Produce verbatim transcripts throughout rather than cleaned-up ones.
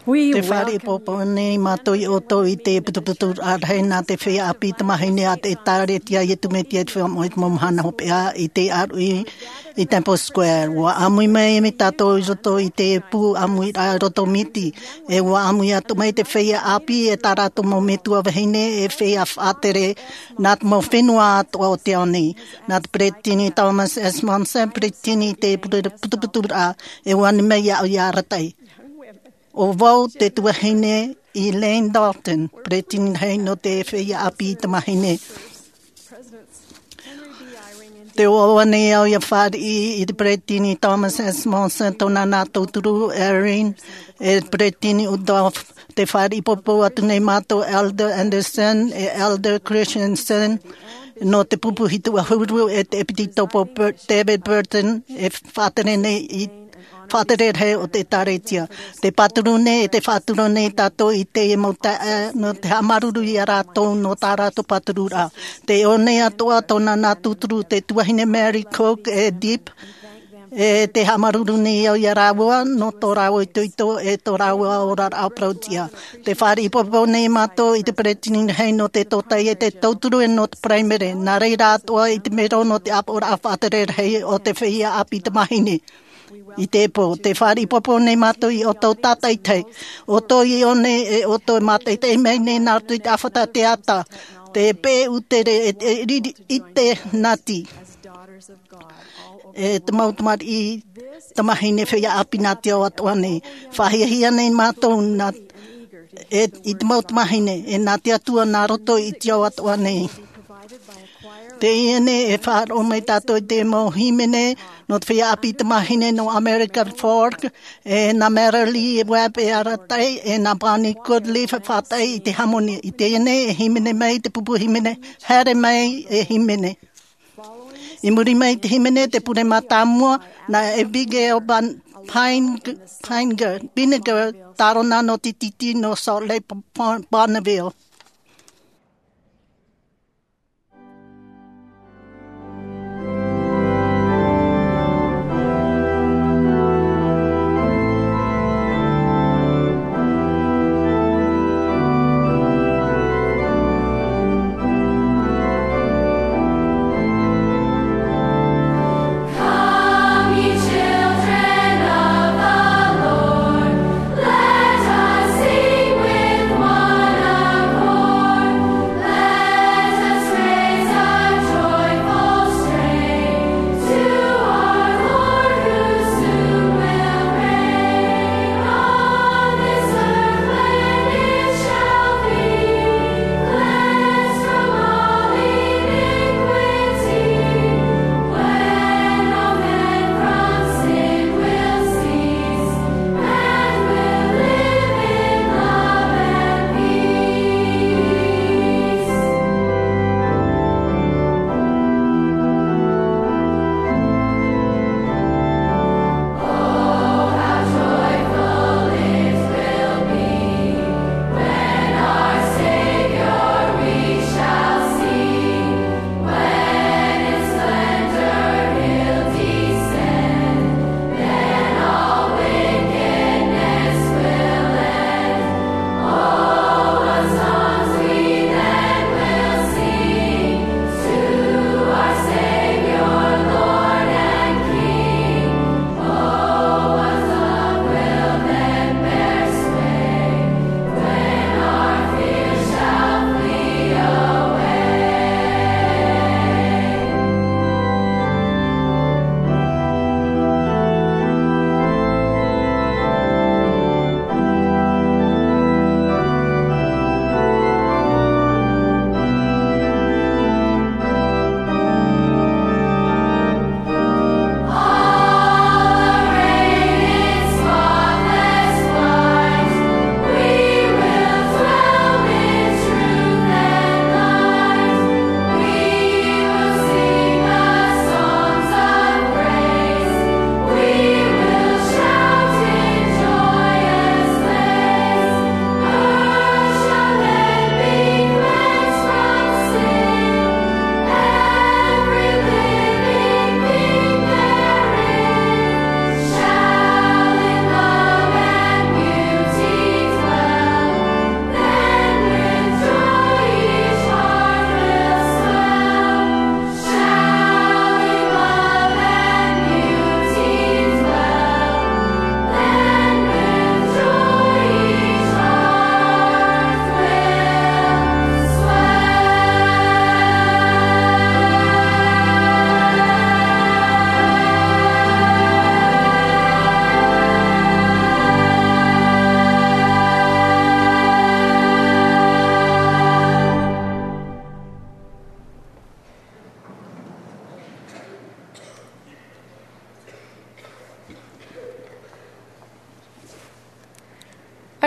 Te fāriʻi pōpō nei mātou iā ʻoutou i te putuputuraʻa rahi nā te feiā ʻāpī tamāhine a te ʻĒtārētia a Iesu Mesia i te Feiā Moʻa i te Mau Mahana Hopeʻa i te ʻāruʻi i Temple Square. ʻUa ʻāmui mai tātou i roto i te pū ʻāmuiraʻa roto miti. E ʻua ʻāmui atu mai te feiā ʻāpī e tā rātou mau metua vahine e feiā faʻatere nā te mau fenua atoʻa o te ao nei. Nā te peresideni Thomas S. Monson, peresideni i te putuputuraʻa, e ʻua ani mai iāʻu i arataʻi. ʻO vau te tuahine Elaine Dalton, peresideni rahi nō te feiā ʻāpī tamāhine. Tē ʻoaʻoa nei au ʻia fāriʻi i te peresideni Thomas S. Monson, tōna nā tauturu Eyring, e peresideni Uchtdorf. Tē fāriʻi pōpō atu nei mātou Elder Andersen, e Elder Christensen, nō te pupu hitu ʻahuru, e te ʻEpitikopo Bur-, David Burton, e faʻatere nei i faʻatere rahi o te ʻĒtārētia. Te pāturu nei, e te faʻaturu nei tātou i teie mau taeaʻe, nō te haʻamāuruuru iā rātou, nō tā rātou pātururaʻa. Tē ʻō nei atoʻa tōna nā tauturu te tuahine Mary Coke, e Deep, e tē haʻamāuruuru nei au iā rāua, nō tō rāua itoito, e tō rāua oraraʻa parauʻtiʻa. Tē fāriʻi pōpō nei mātou i te peresideni rahi nō te tōtaiete, te tauturu e nō te paraimere, nā reira atoʻa i te mero nō te ʻāpoʻoraʻa faʻatere rahi o te feiā ʻāpī tamāhine. I teie pō, tē fāriʻi pōpō nei mātou iā ʻoutou tātaʻitahi. ʻOutou i ʻō nei, e ʻoutou e mātaʻitaʻi mai nei nā roto i te ʻāfata teata, te peʻe ʻūtere, e, e riri, ʻite nati. E te mau tamariʻi tamāhine feiā ʻāpī nā te ao atoʻa nei. Faʻahiahia nei mātou nā, e, i te mau tamāhine, e nā te Atua nā roto i te ao atoʻa nei. Teie nei e faʻaroʻo mai tātou i te mau hīmene nō te feiā ʻāpī tamāhine nō American Folk, e nā Marilee Webb e arataʻi, e nā Bonnie Goodleaf e faʻataʻi i te hāmani. I teie nei e hīmene mai te pupu hīmene, Haere Mai e Hīmene. I muri mai i te hīmene, te pure mātāmua, nā Abigail Ban-, Pine-, Pine-, Vinegar, tārona nō te tītī nō Salt Lake, Bon-, Bonneville.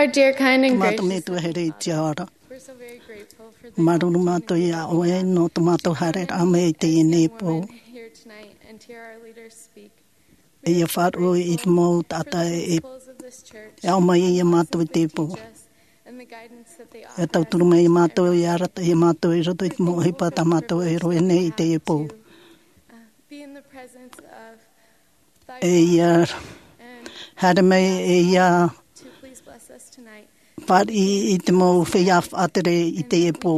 Our dear, kind, and gracious Heavenly Father, we're so very grateful for the Māuruuru mātou iā ʻoe nō tō mātou haereraʻa mai i teie nei pō. E ia faʻaroʻo i te mau taʻata e, e aʻo mai iā mātou i teie pō. E tauturu mai iā mātou, e arataʻi iā mātou i roto i te mau ʻohipa tā mātou e rave nei i teie pō. E ia haere mai, e ia fāriʻi i te mau feiā faʻatere i teie pō.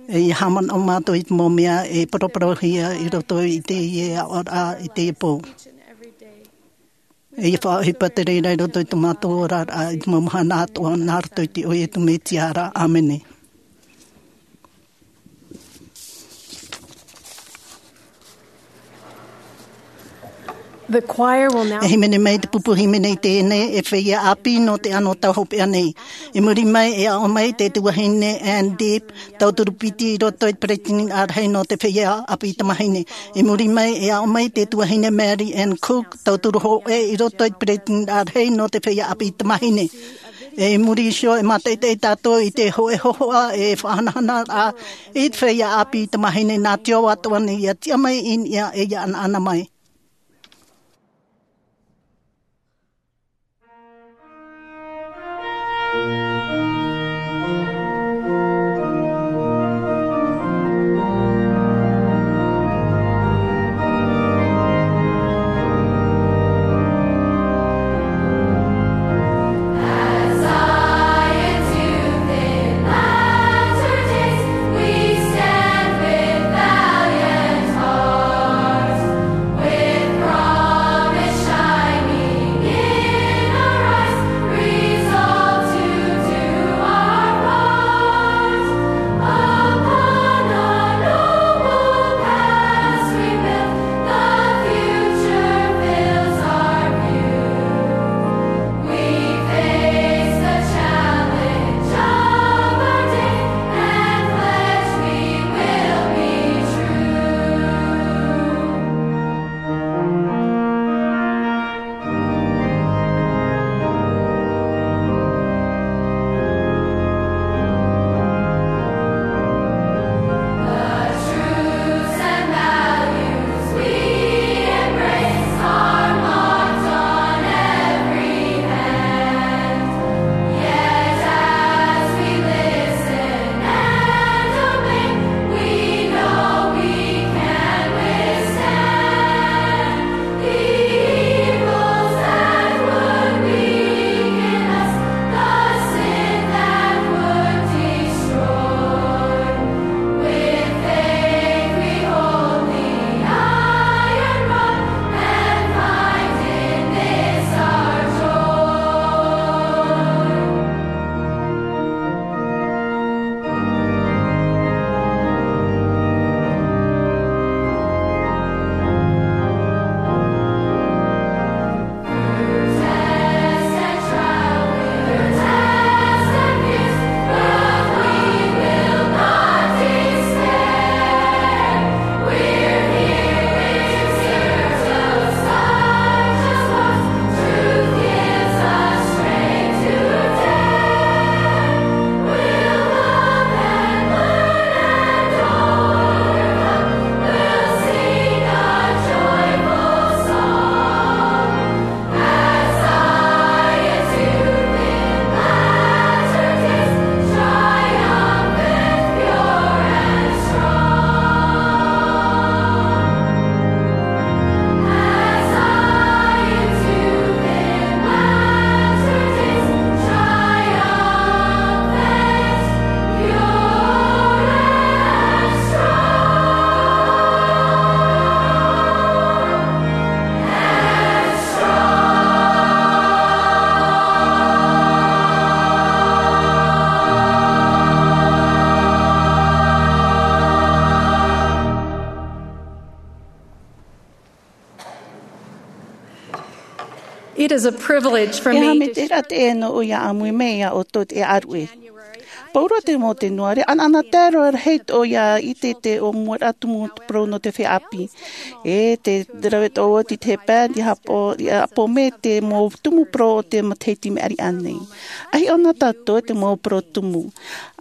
E ia haʻamanaʻo mātou i te mau mea e paraparauhia i roto i teie aʻoraʻa i teie pō. E ia faʻaʻohipa te reira i roto i tō mātou oraraʻa i te mau mahana atoʻa, nā roto i te iʻoa o Iesu Mesia ra. ʻĀmene. The choir will now E hīmene mai te pupu hīmene i teie nei, e feiā ʻāpī nō te anotau hopeʻa nei. I muri mai, e aʻo mai te tuahine Ann Deep, tauturu piti i roto i te peretiteni ʻārahi nō te feiā ʻāpī tamāhine. I muri mai, e aʻo mai te tuahine Mary Ann Cook, tauturu hōʻē i roto i te peretiteni ʻārahi nō te feiā ʻāpī tamāhine. E i muri iho, e mātaʻitaʻi tātou i te hōʻē hōhoʻa e faʻahanahanaraʻa i te feiā ʻāpī tamāhine nā te ao atoʻa nei, ia tiʻa mai i niʻa e ia ʻanaʻana mai. It is a privilege for E aha me te rahi nō ʻoe ia ʻāmui mai iā ʻoutou te ʻāruʻe. Paura te mau te nuare, anaana tae roa rahi tō ia i te te o mua rā tumu parau nō te feiā ʻāpī. E te rave tō oti te pā, i hapo, i hapo me te mau tumu parau o te matahiti mea riʻa nei. Ahi ona tātou te mau parau tumu.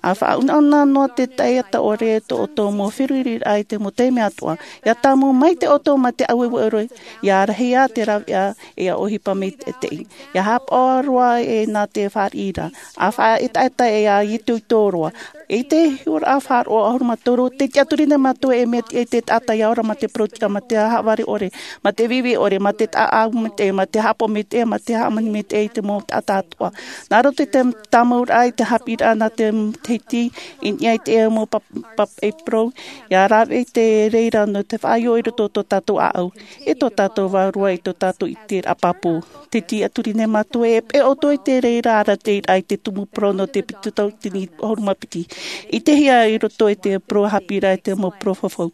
A faʻaunauna noa te taiata ʻore tō ʻoutou mau feruriraʻa i te mau taime atoʻa. Ia tāmau mai te ʻoutou ma te aueue ʻore, ia rahi ā te ravea, e ia ʻohipa mai te teʻi. Ia hapaʻo roa e nā te fāriʻi ra. A faʻaetaeta e ia itoito roa. I te hiʻoraʻa faʻaroʻo ʻahuru mā toru, tē tiʻaturi nei mātou e mea tiʻa i te taʻata ia ora ma te parau tiʻa, ma te haʻavare ʻore, ma te vivi ʻore, ma te taʻa ʻau mā te, ma te haʻapaʻo mā te, ma te hāmani mā te, i te mau taʻata atoʻa. Nā roto i te tāmauraʻa i te haʻapiʻiraʻa nā te matahiti, i niʻa i te mau pap-, pāpaʻi parau, ia rave i te reira nō te faʻaʻite i roto tō tātou ʻāʻau, e tō tātou vārua, i tō tātou ʻiteraʻa pāpū. Tē tiʻaturi nei mātou e peʻe ʻoutou i te reira arataʻiraʻa i te tumu parau nō te piti tauatini ʻahuru mā piti. I te hia i roto i te parau haʻapiʻiraʻa i te mau parau fafau.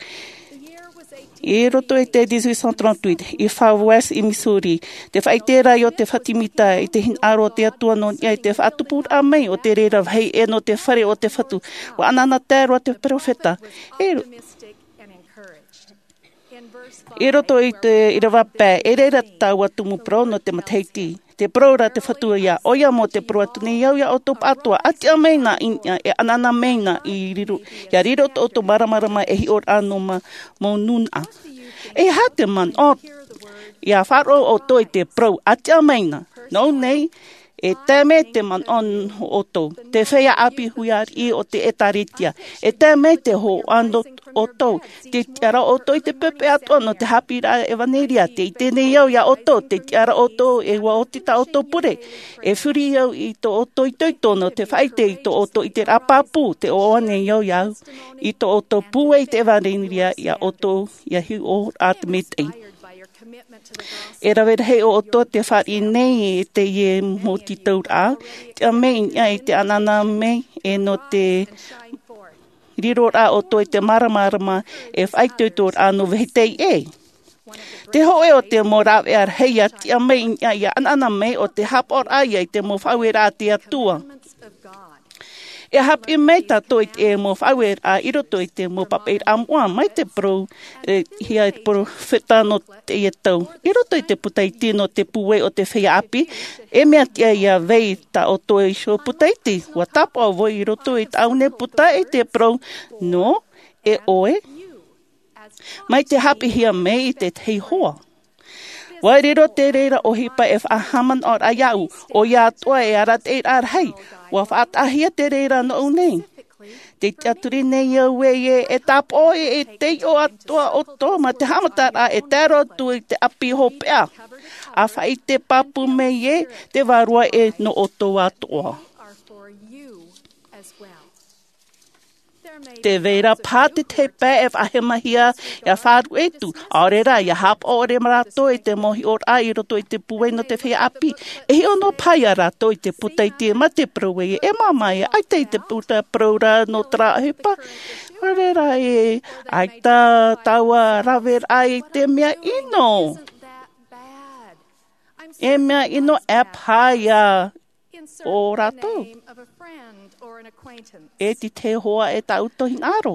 I roto i te dix-huit cent trente-huit, i Far West, i Missouri, te faʻaʻite ra o te fatimita i te hinaʻaro o te Atua nō niʻa i te faʻatupuraʻa mai o te reira vāhi ʻē nō te fare o te Fatu. ʻUa anaana tae roa te peropheta. E ro-, i roto i te ʻīrava pae, e reira taua tumu parau nō te matahiti. Tē parau ra te Fatu ia, ʻoia mau tē parau atu nei au ia ʻoutou pāʻatoʻa, ʻa tiʻa mai na i niʻa, e anaana mai na i riro, ia riro tō ʻoutou māramarama e hiʻoraʻa nō ma-, mau nūnaʻa. E aha te manaʻo, ia faʻaroʻo ʻoutou i te parau, ʻa tiʻa mai na. Nō ʻō nei, e tae mai te manaʻo nō ʻoutou, te feiā ʻāpī huiraʻatira o te ʻĒtārētia. E tae mai te hōhoʻa nō ʻoutou, tē tiʻa ra ʻoutou i te pepe atoʻa nō te haʻapiʻiraʻa ʻevanelia, tē ʻite nei au ia ʻoutou, tē tiʻa ra ʻoutou e ʻua oti tā ʻoutou pure. E furi au i tō ʻoutou itoito nō te faʻaʻite i tō ʻoutou ʻiteraʻa pāpū, tē ʻoaʻoa nei au ia au, i tō ʻoutou pūai i te ʻevanelia ia ʻoutou, ia hiʻo atu maitaʻi. E rave rahi ʻoutou te fāriʻi nei i teie mau tītauraʻa, tiʻa mai i niʻa i te anaana mai e nō te riroraʻa ʻoutou i te māramarama e faʻaitoitoraʻa nō vāhi teie. Te hōʻē o te mau rāveʻa rahi ia tiʻa mai i niʻa ia anaana mai ʻo te haʻapaʻoraʻa ia i te mau faʻaueraʻa a te Atua. E haʻapiʻi mai tātou i te mau faʻaueraʻa i roto i te mau pāpaʻiraʻa moʻa mai te parau, e, hia e te peropheta nō teie tau. I roto i te puta iti nō te pūai o te feiā ʻāpī, e mea tiʻa ia vai tā ʻoutou iho puta iti. ʻUa tāpaʻo vau i roto i tāʻu nei puta i te parau, nō, e ʻoe. Mai te haʻapiʻihia mai i te tahi hoa. ʻUa riro te reira ʻohipa e faʻahaʻamanaʻoraʻa iāʻu, ʻoia atoʻa e arataʻiraʻa rahi, ʻua faʻataʻahia te reira nōʻu nei. Tē tiʻaturi nei au ē, e tāpaʻo e, e taiʻo atoʻa ʻoutou ma te haʻamataraʻa e tae roa atu i te ʻāpī hopeʻa. ʻA faʻaʻite pāpū mai ē, te vārua ē nō ʻoutou atoʻa. Tē vai ra paha te tahi pae e faʻahemahia ia faʻaruʻe atu, ʻaore rā, ia haʻapaʻo ʻore rātou i te mau hiʻoraʻa i roto i te pūai nō te feiā ʻāpī. E hiʻo noa paha ia rātou i te puta iti ma te parau ē, e māmā ē, ʻaita i te puta parau ra nō terā ʻohipa. ʻAore rā ē, ʻaita taua raveraʻa i te mea ʻino. E mea ʻino ʻē paha ia ō rātou. E te tahi hoa e tāʻu hinaʻaro.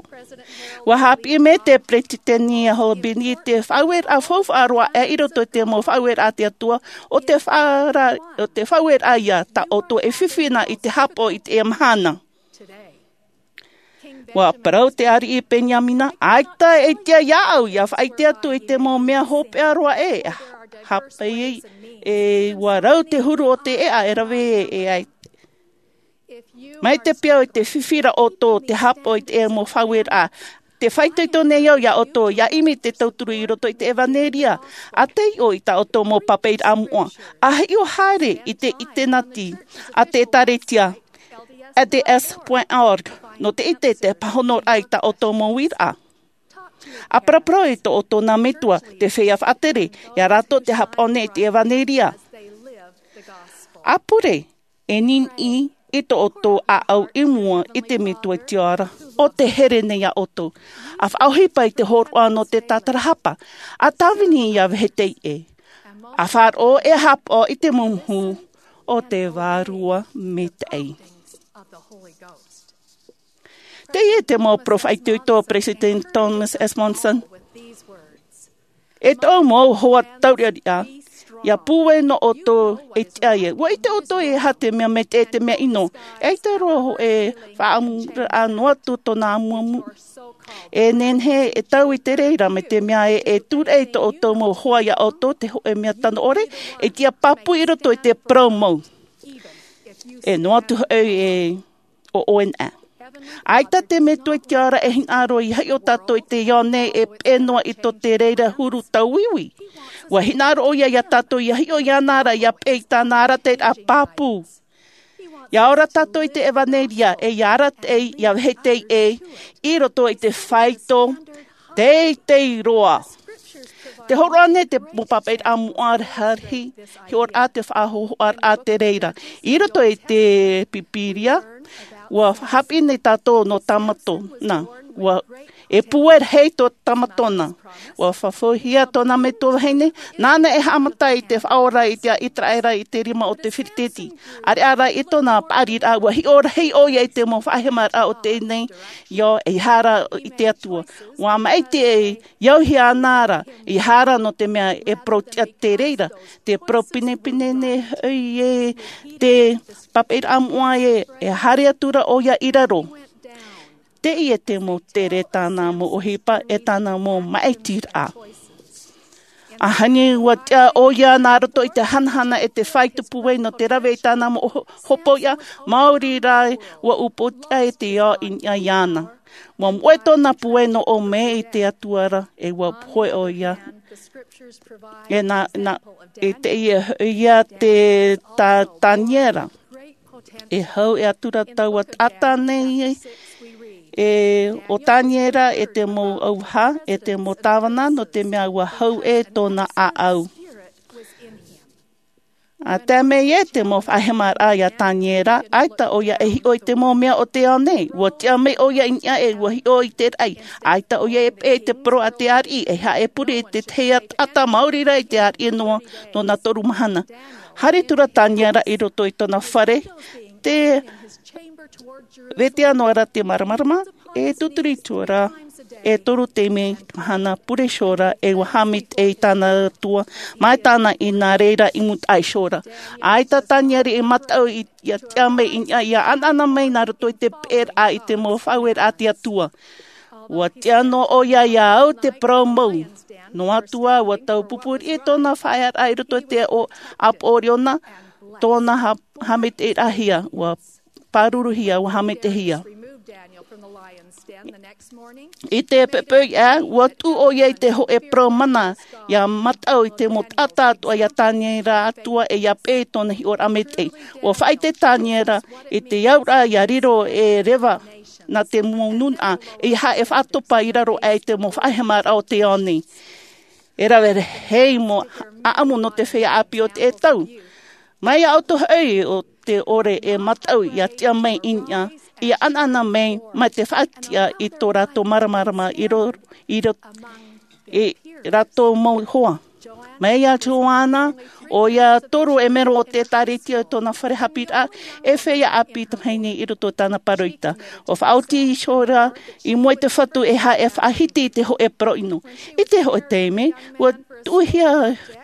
ʻUa haʻapiʻi mai te peresideni a Hall Binney te faʻaueraʻa faufaʻa roa aʻe i roto i te mau faʻaueraʻa a te Atua, ʻo te faʻaʻa-, ʻo te faʻaueraʻa ia tā ʻoutou e fifi na i te haʻapaʻo i teie mahana. ʻUa parau te ariʻi Peniamina, ʻaita e tiʻa iāʻu ia faʻaʻite atu i te mau mea hopeʻa roa ē, hāpai e ua rau te huru o te ʻēʻa e rave e ai. Mai te peu e te fifi ra ʻoutou te haʻapaʻo i te mau faʻaueraʻa, tē faʻaitoito nei au ia ʻoutou, ia ʻimi te tauturu i roto i te ʻevanelia, ʻa taiʻo i tā ʻoutou mau pāpaʻiraʻa moʻa, ʻa hiʻo haere i te ʻitenati a te ʻĒtārētia, L D S point org, nō te ʻite i te pāhonoraʻa i tā ʻoutou mau uiraʻa. ʻA paraparau i tō ʻoutou nā metua, te feiā faʻatere, ia rātou te haʻapaʻo nei i te ʻevanelia. ʻA pure, e niniʻi i tō ʻoutou ʻāʻau i mua i te Metua i te ao ra, ʻo tē here nei ia ʻoutou. ʻA faʻaʻohipa i te hōroʻa nō te tātarahapa, ʻa tāvini ia vāhi teie. ʻA faʻaroʻo e haʻapaʻo i te mumuhu o te Vārua Maitaʻi. Teie te mau poroʻi faʻaitoito o Peresideni Thomas S. Monson. E tōʻu mau hoa tauriʻariʻa, ʻia pūai noa ʻoutou e tiʻa ia. ʻUa ʻite ʻoutou e aha te mea maitaʻi, te mea ʻino. E ʻaita roa hōʻē faʻaʻamuraʻa noa atu tōna ʻamuʻamu. E nehenehe e taui te reira mai te mea ē, e tūraʻi tō ʻoutou mau hoa ia ʻoutou te hōʻē mea tano ʻore, e tiʻa pāpū i roto i te parau mau. E noa atu hoʻi e ʻo ʻoe na. ʻAita te Metua i te ao ra e hinaʻaro ʻia hiʻo tātou i teie ao nei e peʻe noa i tō te reira huru tauiui. ʻUa hinaʻaro ʻoia ia tātou ʻia hiʻo iāna ra ʻia peʻe i tāna arataʻiraʻa pāpū. ʻIa ora tātou i te ʻevaneria e ʻia arataʻi, ʻia vehete ē, i roto i te faito teitei roa. Tē hōroʻa nei te mau pāpaʻiraʻa moʻa rahi, hiʻoraʻa te faʻahōhoʻaraʻa te reira. I roto i te Pīpīria, ʻua haʻapiʻi nei tātou nō Tamatona. ʻUa, e pūai rahi tō Tamatona. ʻUa faʻahoʻihia tōna metua vahine, nāna e haʻamata i te faʻaora i te ʻĪteraʻera i te rima o te Filitisiti. ʻAreʻa rā i tōna paʻariraʻa, ʻua hiʻo rahi ʻoia i te mau faʻahemaraʻa o teie nei ao, ʻeiaha rā i te Atua. ʻUa maʻiti e ʻauhia ana ra, ʻeiaha rā nō te mea e parau tiʻa te reira, te parau pinepine nei hoʻi ē te pāpaʻiraʻa moʻa ē, e haere atu ra ʻoia i raro. Teie te mau tere tāna mau ʻohipa e tāna mau maʻitiraʻa. ʻAhani ʻua tiʻa ʻoia nā roto i te hanahana e te faito pūai nō te rave i tāna mau ho-, hopoiʻa, maori rā ʻua upoʻotiʻa e te ao i niʻa iāna. ʻUa moʻe tōna pūai nō ʻō mai i te Atua ra, e ʻua pohe ʻoia. E nā, nā, e teie hoʻi ia te Ta-, Taniera. E hau e atura taua taʻata nei, e ʻo Taniera e te mau ʻauvaha, e te mau tāvana, nō te mea ʻua hau ē tōna ʻāʻau. ʻA tae mai ē te mau faʻahemaraʻa ia Taniera, ʻaita ʻoia e hiʻo i te mau mea o te ao nei, ʻua tiʻa mai ʻoia i niʻa ē ʻua hiʻo i te raʻi, ʻaita ʻoia e peʻe i te parau a te ariʻi, ʻeiaha e pure i te tahi taʻata maori rā i te ariʻi noa, nō nā toru mahana. Haere atu ra Taniera i roto i tōna fare, tē vete noa ra te māramarama, e tūturi atu ra, e toru taime i te mahana pure iho ra, e ʻua haʻamaitaʻi i tāna Atua, mai tāna i nā reira i mūtaʻa iho ra. ʻAita Taniera i mataʻu i, ʻia tiʻa mai i niʻa, ʻia ʻanaʻana mai nā roto i te peʻeraʻa i te mau faʻaueraʻa a te Atua. ʻUa tiʻa noa ʻoia ʻia au te parau mau. Noa atu ā, ʻua taupupū riʻi tōna faʻaearaʻa i roto i te ʻo-, ʻāpoʻo ʻoriona, tōna ha-, haʻamaitaʻiraʻahia, ʻua pāruruhia, ʻua haʻamaitaʻihia. I te poʻipoʻi ā, ʻua tuʻu ʻoia i te hōʻē parau mana, ʻia mataʻu i te mau taʻata atoʻa ia Taniera atoʻa e ʻia peʻe i tōna hiʻoraʻa maitaʻi. ʻUa faʻaʻite Taniera i te auraʻa ʻia riro e reva nā te mau nūnaʻa, ʻeiaha e faʻatopa i raro aʻe i te mau faʻahemaraʻa o te ao nei. E rave rahi mau ʻaʻamu nō te feiā ʻāpī o teie tau. Mai iā ʻoutou hoʻi ʻo tē ʻore e mataʻu ʻia tiʻa mai i niʻa, ʻia ʻanaʻana mai, mai te faʻatiʻa i tō rātou māramarama i ro-, i ro-, i rātou mau hoa. Mai iā Joana, ʻoia toru e mero o te ʻĒtārētia i tōna fare haʻapiʻiraʻa, e feiā ʻāpī tamahine i roto i tāna pāroita. ʻUa faʻaoti iho ra i mua i te Fatu ʻeiaha e faʻahiti i te hōʻē parau ʻino. I te hōʻē taime, ʻua tuʻuhia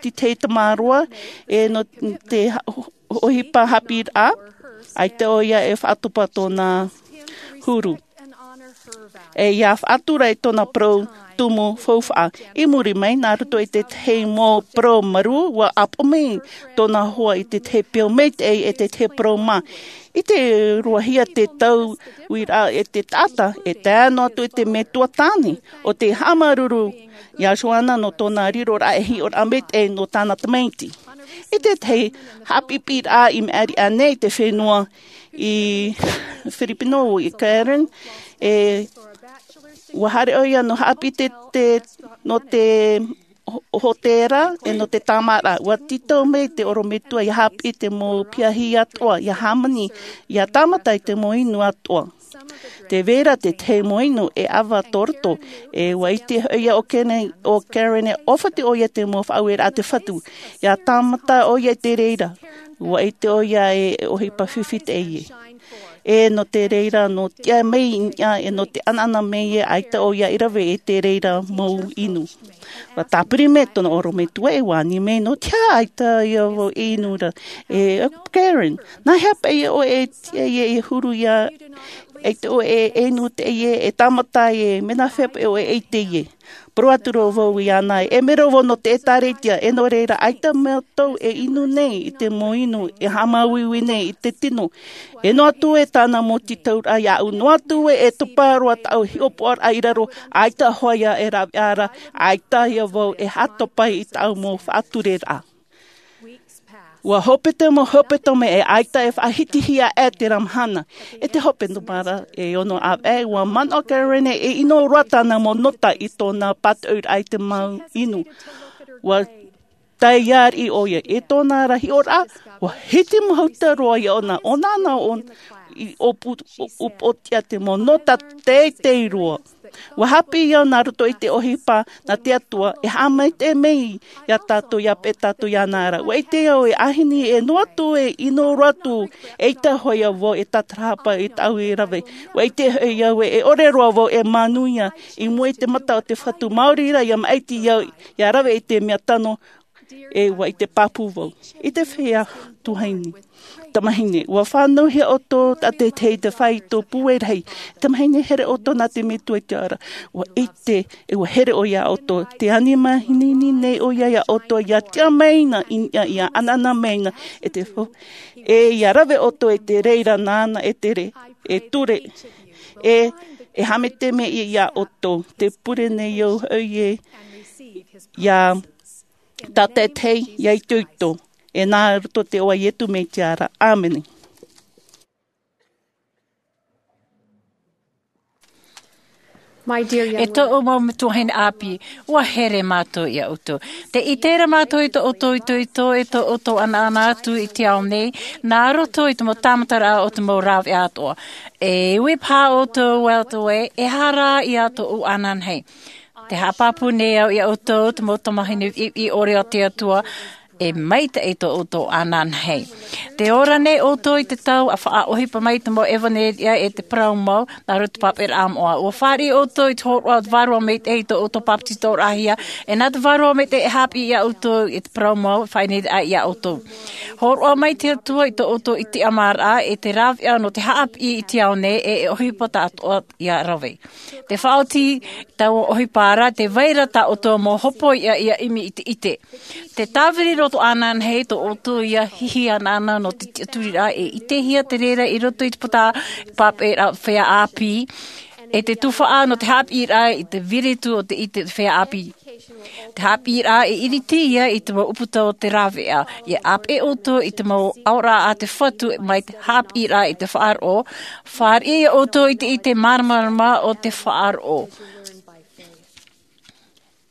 te tahi tamaroa, e nō te ha-, ʻohipa haʻapiʻiraʻa, ʻaita ʻoia e faʻatopa tōna huru. E ʻia faʻatura i tōna parau tumu faufaʻa. I muri mai, nā roto i te tahi mau parau marū, ʻua ʻāpoʻo mai tōna hoa i te tahi peau maitaʻi e te tahi parau mā. I te roahia te tauiraʻa e te taʻata, e tae noa atu i te metua tāne, ʻo tē haʻamāuruuru iā Joana nō tōna riroraʻa e hiʻoraʻa maitaʻi nō tāna tamaiti. I te tahi haʻapiʻipiʻiraʻa i maʻiri aʻe nei i te fenua i Filipino, i Karen, e ʻua haere ʻoia nō haʻapiʻi te, te, nō te ho-, hōtēra, e nō te tāmāʻaraʻa. ʻUa tītau mai te ʻorometua ʻia haʻapiʻi te mau piahi atoʻa, ʻia hāmani, ʻia tāmata i te mau inu atoʻa. Tē vai ra te tahi mau inu e ʻava tō roto, e ʻua ʻite hoʻi ʻo Karen, ʻo Karen e ʻōfatu ʻoia te mau faʻaueraʻa a te Fatu. ʻIa tāmata ʻoia i te reira, ʻua ʻite ʻoia e ʻohipa fifi teie. E nō te reira nō te ʻā mai i niʻa e nō te ʻanaʻana mai e ʻaita ʻoia i rave i te reira mau inu. Ua tāpiri mai tōna ʻorometua e ua ani mai nō te aha ʻaita ia vau e inu ra. E karen, nā hea paʻi ʻoe e tiʻa ia e huru ia, ʻaita ʻoe e inu te ia e tāmata e mena hea paʻi ʻoe e ʻite ia. Poro atu roa vau i ana e mero vau nō te ʻēkālesia e nō reira ʻaita mātou e inu nei i te mau inu e haʻamāuiui nei i te tino. E noa atu e tāna mau tītauraʻa iāʻu noa atu e e topa roa tāʻu hiʻopoʻaraʻa i raro ʻaita hoʻi ia e rave ara ʻaita ia vau e haʻatopa i tāʻu mau faʻatureraʻa. Ua hope te mau hope tome e ʻaita e faʻahitihia e te mahana e te hope no mara e ono ʻāvaʻe ua manaʻo karen e ʻino roa tāna mau nota i tōna pātoʻiraʻa i te mau inu. Ua taiari ʻoia i tōna rahi ora ua hiti mahuta roa ia ʻona ʻona ana ʻona i ʻōpū ʻōpōtia te mau nota teitei roa. Ua haʻapiʻi au nā roto i te ʻohipa nā te atua e haʻamaitaʻi mai iā tātou ia pē tātou ia nā ra ua ʻite au e ʻāhini e noa atu e ʻino roa atu e ʻaita hoʻi ia vau e tātarahapa i tāʻu i rave. Ua ʻite hoʻi au e ʻore roa vau e manuia i mua i te mata o te fatu māori rā ia maʻiti au ia rave i te mea tano. E ua ʻite pāpū vau i te fea tuahine tamahine ua fānauhia ʻoutou tātaitahi te fai tō pūai rahi. Tamahine here ʻoutou nā te metua i te ara ua ʻite e ua here ʻoia ʻoutou te ani mahinini nei ʻoia iā ʻoutou ia tiʻa mai na i niʻa ia ʻanaʻana mai na e te fo e ia rave ʻoutou e te reira nāna e te re e ture e e haʻamaitaʻi mai iā ʻoutou te pure nei au hoʻi e ia tātaitahi ia itoito e nā roto te iʻoa iesu mesia. Āmene. E tōʻu mau tuahine ʻāpī, ua here mātou iā ʻoutou. Te ʻite ra mātou i tō ʻoutou itoito e tō ʻoutou ʻanaʻana atu i te ao nei nā roto i te mau tāmataraʻa o te mau rāveʻa atoʻa. E ui paha ʻoutou atu ē e hara iā tōʻu ananahi. Te haʻapāpū nei au iā ʻoutou te mau tamahine viʻiviʻi ʻore o te atua e maitaʻi tō ʻoutou ananahi. Te ora nei ʻoutou i te tau a faʻaʻohipa mai te mau ʻevanelia e te parau mau nā roto i te pāpaʻiraʻa moʻa ua fāriʻi ʻoutou i te hōroʻa o te vārua maitaʻi i tō ʻoutou papetitoraʻahia. E nā te vārua maitaʻi e haʻapiʻi iā ʻoutou i te parau mau faʻaineineraʻa iā ʻoutou. Hōroʻa mai te atua i tō ʻoutou ʻite ʻamaraʻa e te rāveʻa nō te haʻapiʻi i te ao nei e e ʻohipa tāʻatoʻa ia rave. Te faʻaoti taua ʻohipa ra te vai ra tā ʻoutou mau hopoiʻa ia ʻimi i te ʻite. Te tāviri roto ananahi tō ʻoutou ia hihi anaʻana nō te tiʻaturiraʻa e ʻitehia te reira i roto i te pāpaʻiraʻa feiā ʻāpī e te tufaʻa nō te haʻapiʻiraʻa i te viritu o te ʻite feiā ʻāpī. Te haʻapiʻiraʻa e iriti ia i te mau ʻuputa o te rāveʻa ia ʻāpeʻe ʻoutou i te mau aoraʻa a te fatu mai te haʻapiʻiraʻa i te faʻaroʻo. Fāriʻi ʻoutou i te ʻite māramarama o te faʻaroʻo.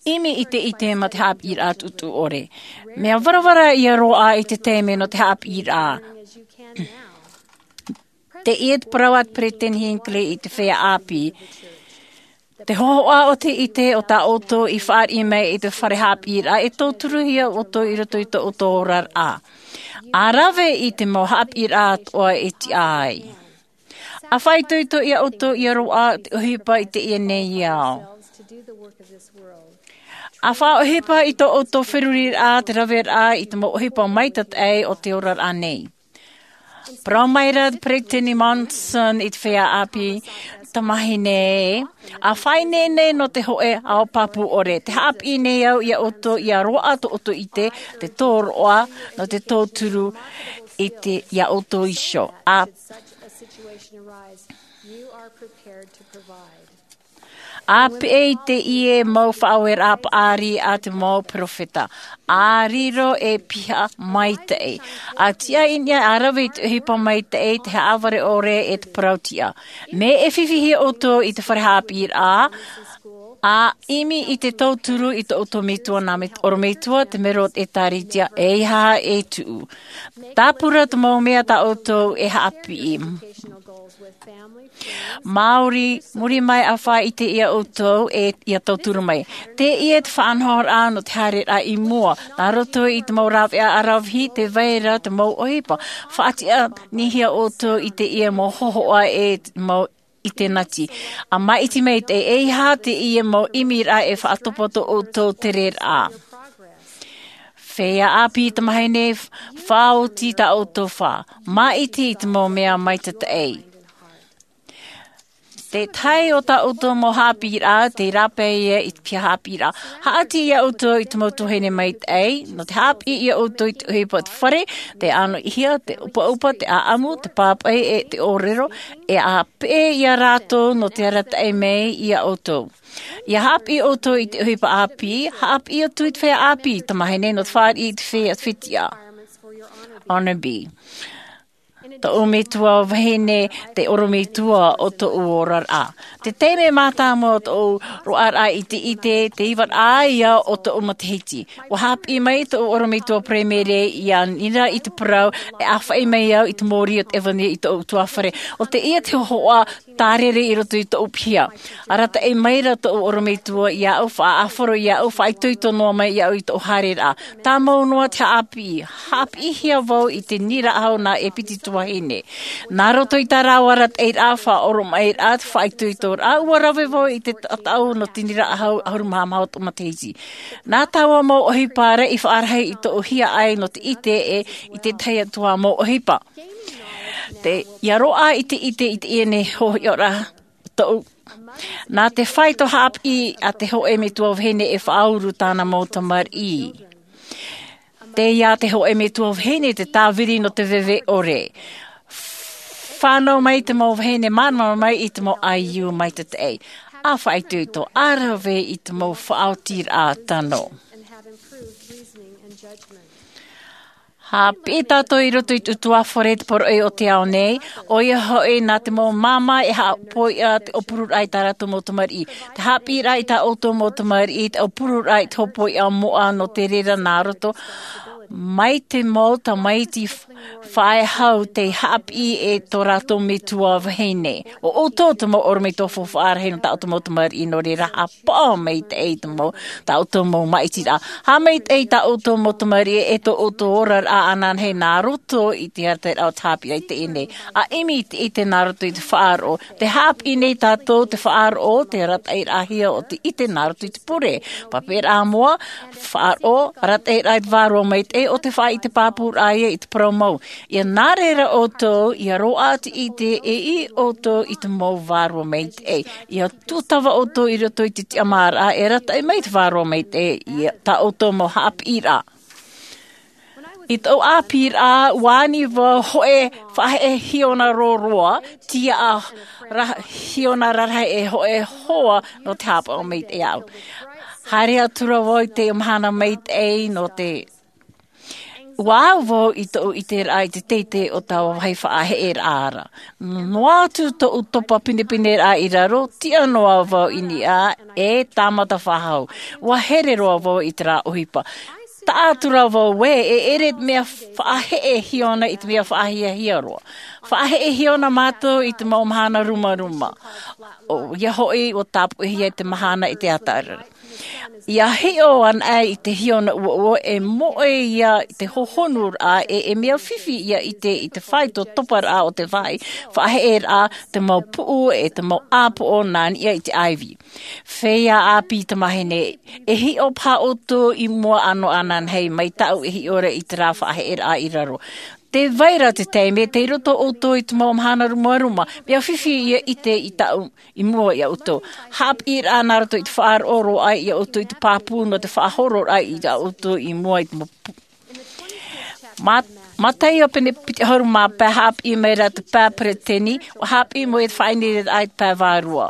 ʻImi i te ʻite ma te haʻapiʻiraʻa tuʻutuʻu ʻore. Mea varavara ia roaʻa i te taime nō te haʻapiʻiraʻa. Teie te parau a te peresideni hinckley i te feiā ʻāpī. Te hōhoʻa o te ʻite o tā ʻoutou i fāriʻi mai i te fare haʻapiʻiraʻa e tauturuhia ʻoutou i roto i tō ʻoutou oraraʻa. A rave i te mau haʻapiʻiraʻa atoʻa e tiʻa ai. A faʻaitoito iā ʻoutou ia roaʻa te ʻohipa i teie nei ao. A faʻaʻohipa i tō ʻoutou feruriraʻa te raveraʻa i te mau ʻohipa maitataʻi o te oraraʻa nei. Parau mai ra te peresideni monson i te feiā ʻāpī, tamahine e, a faʻaineine nō te hoʻe ao pāpū ʻore te haʻapiʻi nei au iā ʻoutou ia roaʻa tō ʻoutou ʻite, te tōroʻa nō te tauturu i te iā ʻoutou iho. A a peʻe i teie mau faʻaueraʻa paʻari a te mau peropheta, a riro e piha maitaʻi, a tiʻa i niʻa a rave i te ʻohipa maitaʻi te haʻavare ʻore e te parau tiʻa. Mea e fifi hia ʻoutou i te fare haʻapiʻiraʻa a ʻimi i te tauturu i tō ʻoutou metua nā ʻorometua te mero o te ʻēkālesia e ihaha e tuʻu. Tāpura te mau mea tā ʻoutou e haʻapiʻi. Māori, muri mai a faʻaʻite ia ʻoutou e ia tauturu mai. Teie te faʻanahoraʻa nō te haereraʻa i mua. Nā roto i te mau rāveʻa ʻaravihi, tē vai ra te mau ʻohipa. Faʻatiʻa nei hia ʻoutou i teie mau hōhoʻa e te mau ʻite nati. ʻA maʻiti mai te, eiaha teie mau ʻimiraʻa e faʻatopa tō ʻoutou tereraʻa. Feiā ʻāpī tamāhine, faʻaoti tā ʻoutou fā. Maʻiti i te mau mea maitaʻi. Te tahi o tā ʻoutou mau haʻapiʻiraʻa, tei rāpae ia i te piha haʻapiʻiraʻa. Haʻati ia ʻoutou i te mau tuahine maitaʻi, nō te haʻapiʻi ia ʻoutou i te ʻohipa o te fare, te ʻanoʻihia, te ʻupaʻupa, te ʻaʻamu, te pāpaʻi, e te ʻōrero, e ʻa peʻe ia rātou nō te arataʻi mai ia ʻoutou. ʻIa haʻapiʻi ʻoutou i te ʻohipa ʻāpī, haʻapiʻi atu i te feiā ʻāpī tamāhine nō te fāriʻi i te feiā fetiʻa. Honor B. Tōʻu metua vahine, te ʻorometua o tōʻu oraraʻa. Te taime mātāmua o tōʻu roaraʻa i te ʻite, te ivaraʻa ia o tōʻu matahiti. ʻUa haʻapiʻi mai tōʻu ʻorometua paraimere ia nira i te parau, e ʻāfaʻi mai au i te mōrī o te ʻevanelia i tōʻu ʻutuāfare. ʻO teie te hōhoʻa tārere i roto i tōʻu piha. Arataʻi mai ra tōʻu ʻorometua iāʻu, faʻaʻāfaro iāʻu, faʻaitoito noa mai iāʻu i tōʻu haereraʻa. Tāmau noa te haʻapiʻi, haʻapiʻihia vau i te niraʻa hau nā e piti tuahine. Nā roto i tā rāua arataʻiraʻa, faʻaoromaʻiraʻa, te faʻaitoitoraʻa, ʻua rave vau i te taʻu nō te niraʻa hau ʻahuru mā maha o tōʻu matahiti. Nā taua mau ʻohipa ra i faʻarahi i tōʻu hiaʻai nō te ʻite e i te tahi atu ā mau ʻohipa. Te, ʻia roaʻa i te ʻite i teie nei hōhoʻa tōʻu. Nā te fāito haʻapiʻi a te hōʻē metua vahine e faʻauru tāna mau tamariʻi. Tei ia te hōʻē metua vahine te tāviri nō te veve ʻore. Fānau mai te mau vahine, māramarama mai i te mau ʻaiū maitaʻi. ʻA faʻaitoito, ʻa rave i te mau faʻaotiraʻa tano. Haʻapiʻi tātou i roto i te ʻutuāfare te poroʻi o te ao nei, ʻoia hoʻi nā te mau māmā e haʻapoiʻa te ʻōpururaʻa i tā rātou mau tamariʻi. Te haʻapiʻiraʻa i tā ʻoutou mau tamariʻi, te ʻōpururaʻa i te hōpoiʻa moʻa nō te reira nā roto, mai te mau tamaiti f-, faʻehau tei haʻapiʻi e tō rātou metua vahine. ʻO ʻoutou te mau ʻorometua faufaʻa rahi nō tā ʻoutou mau tamariʻi, nō reira haʻapaʻo maitaʻi te mau, tā ʻoutou mau māʻitiraʻa. Haʻamaitaʻi tā ʻoutou mau tamariʻi e tō ʻoutou oraraʻa ananahi nā roto i te arataʻiraʻa o te haʻapiʻiraʻa i teie nei. ʻA ʻimi i te ʻite nā roto i te faʻaroʻo. Tē haʻapiʻi nei tātou te faʻaroʻo, te arataʻiraʻahia o te ʻite nā roto i te pure. Papaʻiraʻa moʻa, faʻaroʻo, arataʻiraʻa i te vārua maitaʻi, ʻo te faʻaʻite pāpūraʻa ia i te parau mau. ʻIa nā reira ʻoutou, ʻia roaʻa te ʻite e ʻī ʻoutou i te mau vārua maitaʻi. ʻIa tūtava ʻoutou i roto i te tiʻamāraʻa e arataʻi mai te vārua maitaʻi i tā ʻoutou mau haʻapiʻiraʻa. I tōʻu ʻāpīraʻa, ʻua ani vau hōʻē faʻaheʻe hiona roroa, tiaʻa ra-, hiona rarahi e hōʻē hoa nō te haʻapaʻo maitaʻi aʻu. Haere atu ra vau i te mahana maitaʻi nō te ʻUa au vau i tōʻu ʻiteraʻa i te teitei o taua vāhi faʻaheʻeraʻa ra. Noa atu tōʻu topa pinepineraʻa i raro, tiʻa noa vau i niʻa e tāmata faʻahou. ʻUa here roa vau i terā ʻohipa. Taʻa atu ra vau ē, e ʻere te mea faʻaheʻe hiona i te mea faʻahiahia roa. Faʻaheʻe hiona mātou i te mau mahana rumaruma. ʻOia hoʻi, ʻua tāpoʻihia te mahana i te ʻātaʻaraʻa. ʻIa hiʻo anaʻe i te hiona ʻuoʻuo e moʻe ia i te hohonuraʻa e, e mea fifi ʻia ʻite i te fāito toparaʻa o te vāhi faʻaheʻeraʻa, te mau puʻu e te mau ʻāpoʻo nā niʻa i te ʻaivi. Feiā ʻāpī tamāhine, e hiʻo paha ʻoutou i mua ʻānoʻa ananahi mai tāʻu e hiʻo ra i terā faʻaheʻeraʻa i raro. Tē vai ra te taime, tei roto ʻoutou i te mau mahana rumaruma, mea fifi ʻia ʻite i tāʻu i mua ia ʻoutou. Haʻapiʻiraʻa nā roto i te faʻaroʻo roa ia ʻoutou i te pāpū nō te faʻahororaʻa i tā ʻoutou i mua i te mau pu-, ma-, Mataio pene piti ʻahuru mā pae, haʻapiʻi mai ra te pae peretiteni, ʻua haʻapiʻi mai te faʻaineineraʻa i te pae vārua.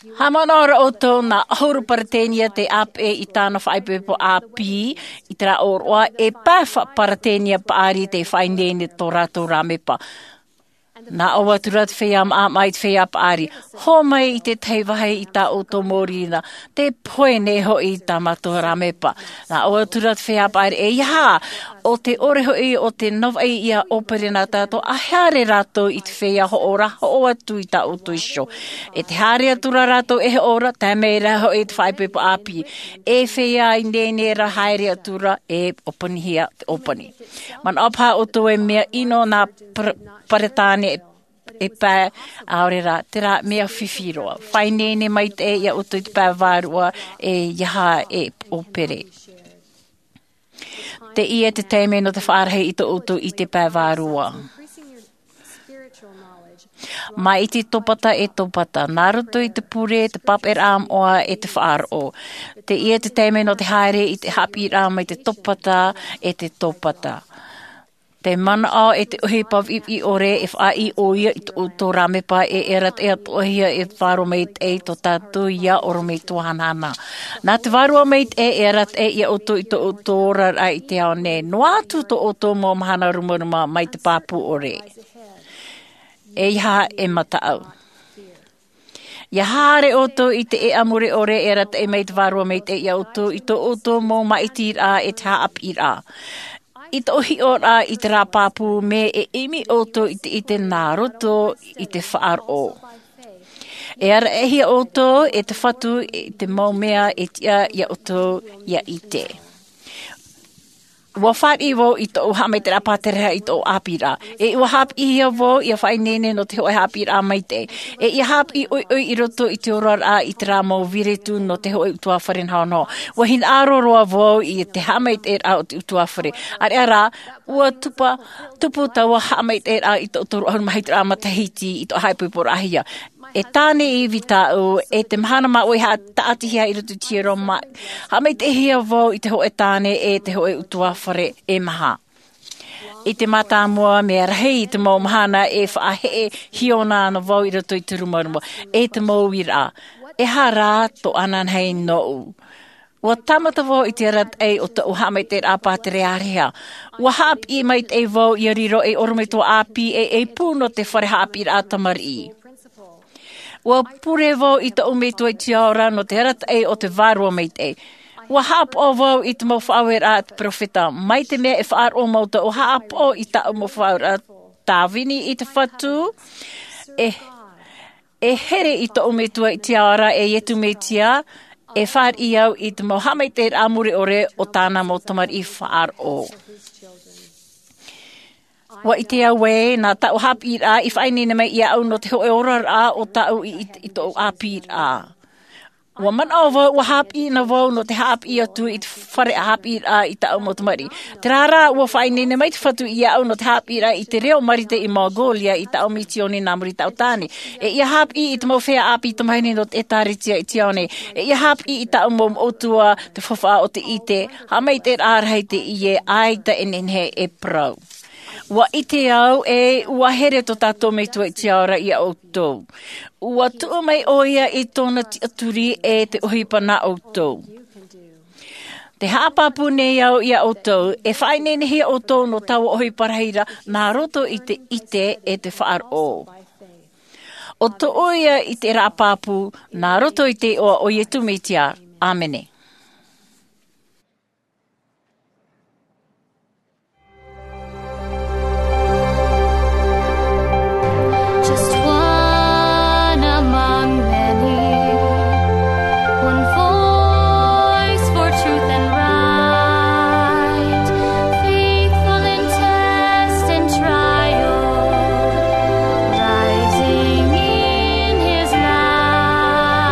Haʻamanaʻo ra ʻoutou nā ʻahuru peretiteni tei ʻāpeʻe i tāna faʻaipoipo ʻāpī, i terā ʻōroʻa e pae fa-, peretiteni paʻari tei faʻaineine tō rātou rāmepa. Nā ʻō atu ra te feiā maʻamaʻa i te feiā paʻari, hō mai i te tahi vāhi i tā ʻoutou mōrī na, te pohe nei hoʻi tā mātou rāmepa. Nā ʻō atu ra te feiā paʻari, e ia hā, ʻo te ʻore hoʻi o te navaʻi ia ʻōpere nā tātou, ʻa haere rātou i te feiā hoʻo ra, hoʻo atu i tā ʻoutou iho. E te haere atu ra rātou e hoʻo ra, tae mai ra hoʻi te faʻaipoipo ʻāpī. E feiā ineine ra, haere atu ra, e ʻōpanihia te ʻōpani. Manaʻo paha ʻoutou e mea ʻino nā Par-, Peretāne e pae, ʻaore rā, terā mea fifi roa. Faʻaineine maitaʻi ia ʻoutou i te pae vārua, e ia hā e ʻōpere. Teie te taime nō te faʻarahi i tō ʻoutou ʻite pae vārua. Mai te topata e topata, nā roto i te pure, te pāpaʻiraʻa moʻa e te faʻaroʻo. Teie te taime nō te haere i te haʻapiʻiraʻa mai te topata e te topata. Te manaʻo e te ʻohipa viʻiviʻi ʻore e faʻaʻī ʻoia i tō ʻoutou rāmepa e, e arataʻi atoʻahia e vārua maitaʻi tō tātou ia ʻorometua hanahana. Nā te vārua maitaʻi e arataʻi ia ʻoutou i tō ʻoutou oraraʻa i te ao nei. Noa atu tō ʻoutou mau mahana rumaruma mai te pāpū ʻore. E ia hā e mataʻu. Ia haere ʻoutou i te ʻēʻa mure ʻore e arataʻi mai te vārua maitaʻi ia ʻoutou i tō ʻoutou mau māʻitiraʻa e te haʻapiʻiraʻa. I tō ʻoutou hiʻoraʻa i terā pāpū, mea e ʻimi ʻoutou i te ʻite nā roto i te faʻaroʻo. E arataʻihia ʻoutou e te Fatu i te mau mea e tiʻa ia ʻoutou ia ʻite. ʻUa fāriʻi vau i tōʻu haʻamaitaʻiraʻa pāterehia i tōʻu ʻāpīraʻa. E ʻua haʻapiʻihia vau ʻia faʻaineine nō te hōʻē haʻapiʻiraʻa maitaʻi. E ʻia haʻapiʻi ʻoiʻoi i roto i te oraraʻa i terā mau viretu nō te hōʻē ʻutuāfare nahonaho. ʻUa hinaʻaro roa vau i te haʻamaitaʻiraʻa o te ʻutuāfare. ʻĀreʻa rā, ʻua tupa, tupu taua haʻamaitaʻiraʻa i tōʻu toru ʻahuru mā hitu matahiti i tōʻu haʻaipoiporaʻahia. E tāne ivi tāʻu, e te mahana māʻohi haʻa-, tāʻatihia i roto i te hiero mā-, haʻamaitaʻihia vau i te hōʻē tāne e te hōʻē ʻutuāfare e maha. I te mātāmua, mea rahi i te mau mahana e faʻaheʻe hiona ana vau i roto i te rumaruma, e te mau uiraʻa. Ehara tō ananahi nōʻu. ʻUa tāmata vau i te arataʻi o tōʻu haʻamaitaʻiraʻa pāterehia. ʻUa haʻapiʻi maitaʻi vau ʻia riro ei ʻorometua ʻāpī e, e pū nō te fare haʻapiʻiraʻa tamariʻi. ʻUa pure vau i tōʻu Metua i te ao ra nō te arataʻi o te Vārua Maitaʻi. ʻUa haʻapaʻo vau i te mau faʻaueraʻa a te perofeta. Mai te mea e faʻaroʻo mau tōʻu haʻapaʻo i tāʻu mau faʻaueraʻa tāvini i te Fatu, e, e here i tōʻu Metua i te ao ra, e Iesu Mesia, e fāriʻi au i te mau haʻamaitaʻiraʻa mure ʻore o tāna mau tamariʻi faʻaroʻo. ʻUa ʻite au ē, nā tāʻu haʻapiʻiraʻa i faʻaineine mai iāʻu nō te hōʻē oraraʻa o tāʻu i, i, i tōʻu ʻāpīraʻa. ʻUa manaʻo vau, ʻua haʻapiʻi na vau nō te haʻapiʻi atu i te fare haʻapiʻiraʻa i tāʻu mau tamariʻi. Terā rā, ʻua faʻaineine mai te Fatu iāʻu nō te haʻapiʻiraʻa i te reo Marite i Mongolia i tāʻu misioni nā muri i tāʻu tāne. E ʻia haʻapiʻi i te mau feiā ʻāpī tamahine nō te ʻĒtārētia i te ao nei. E ʻia haʻapiʻi i tāʻu mau moʻotua, te faufaʻa o te ʻite, haʻamaitaʻiraʻa rahi teie, ʻaita e nehenehe e parau. ʻUa ʻite au ē, ʻua here tō tātou Metua i te ao ra iā ʻoutou. ʻUa tuʻu mai ʻoia i tōna tiʻaturi e te ʻohipa nā ʻoutou. Tē haʻapāpū nei au iā ʻoutou, e faʻaineinehia ʻoutou nō taua ʻohipa rahi ra, nā roto i te ʻite e te faʻaroʻo. ʻO tōʻu ia i terā pāpū, nā roto i te iʻoa o Iesu Mesia. ʻĀmene. Just one among many, one voice for truth and right, faithful in test and trial, rising in his light.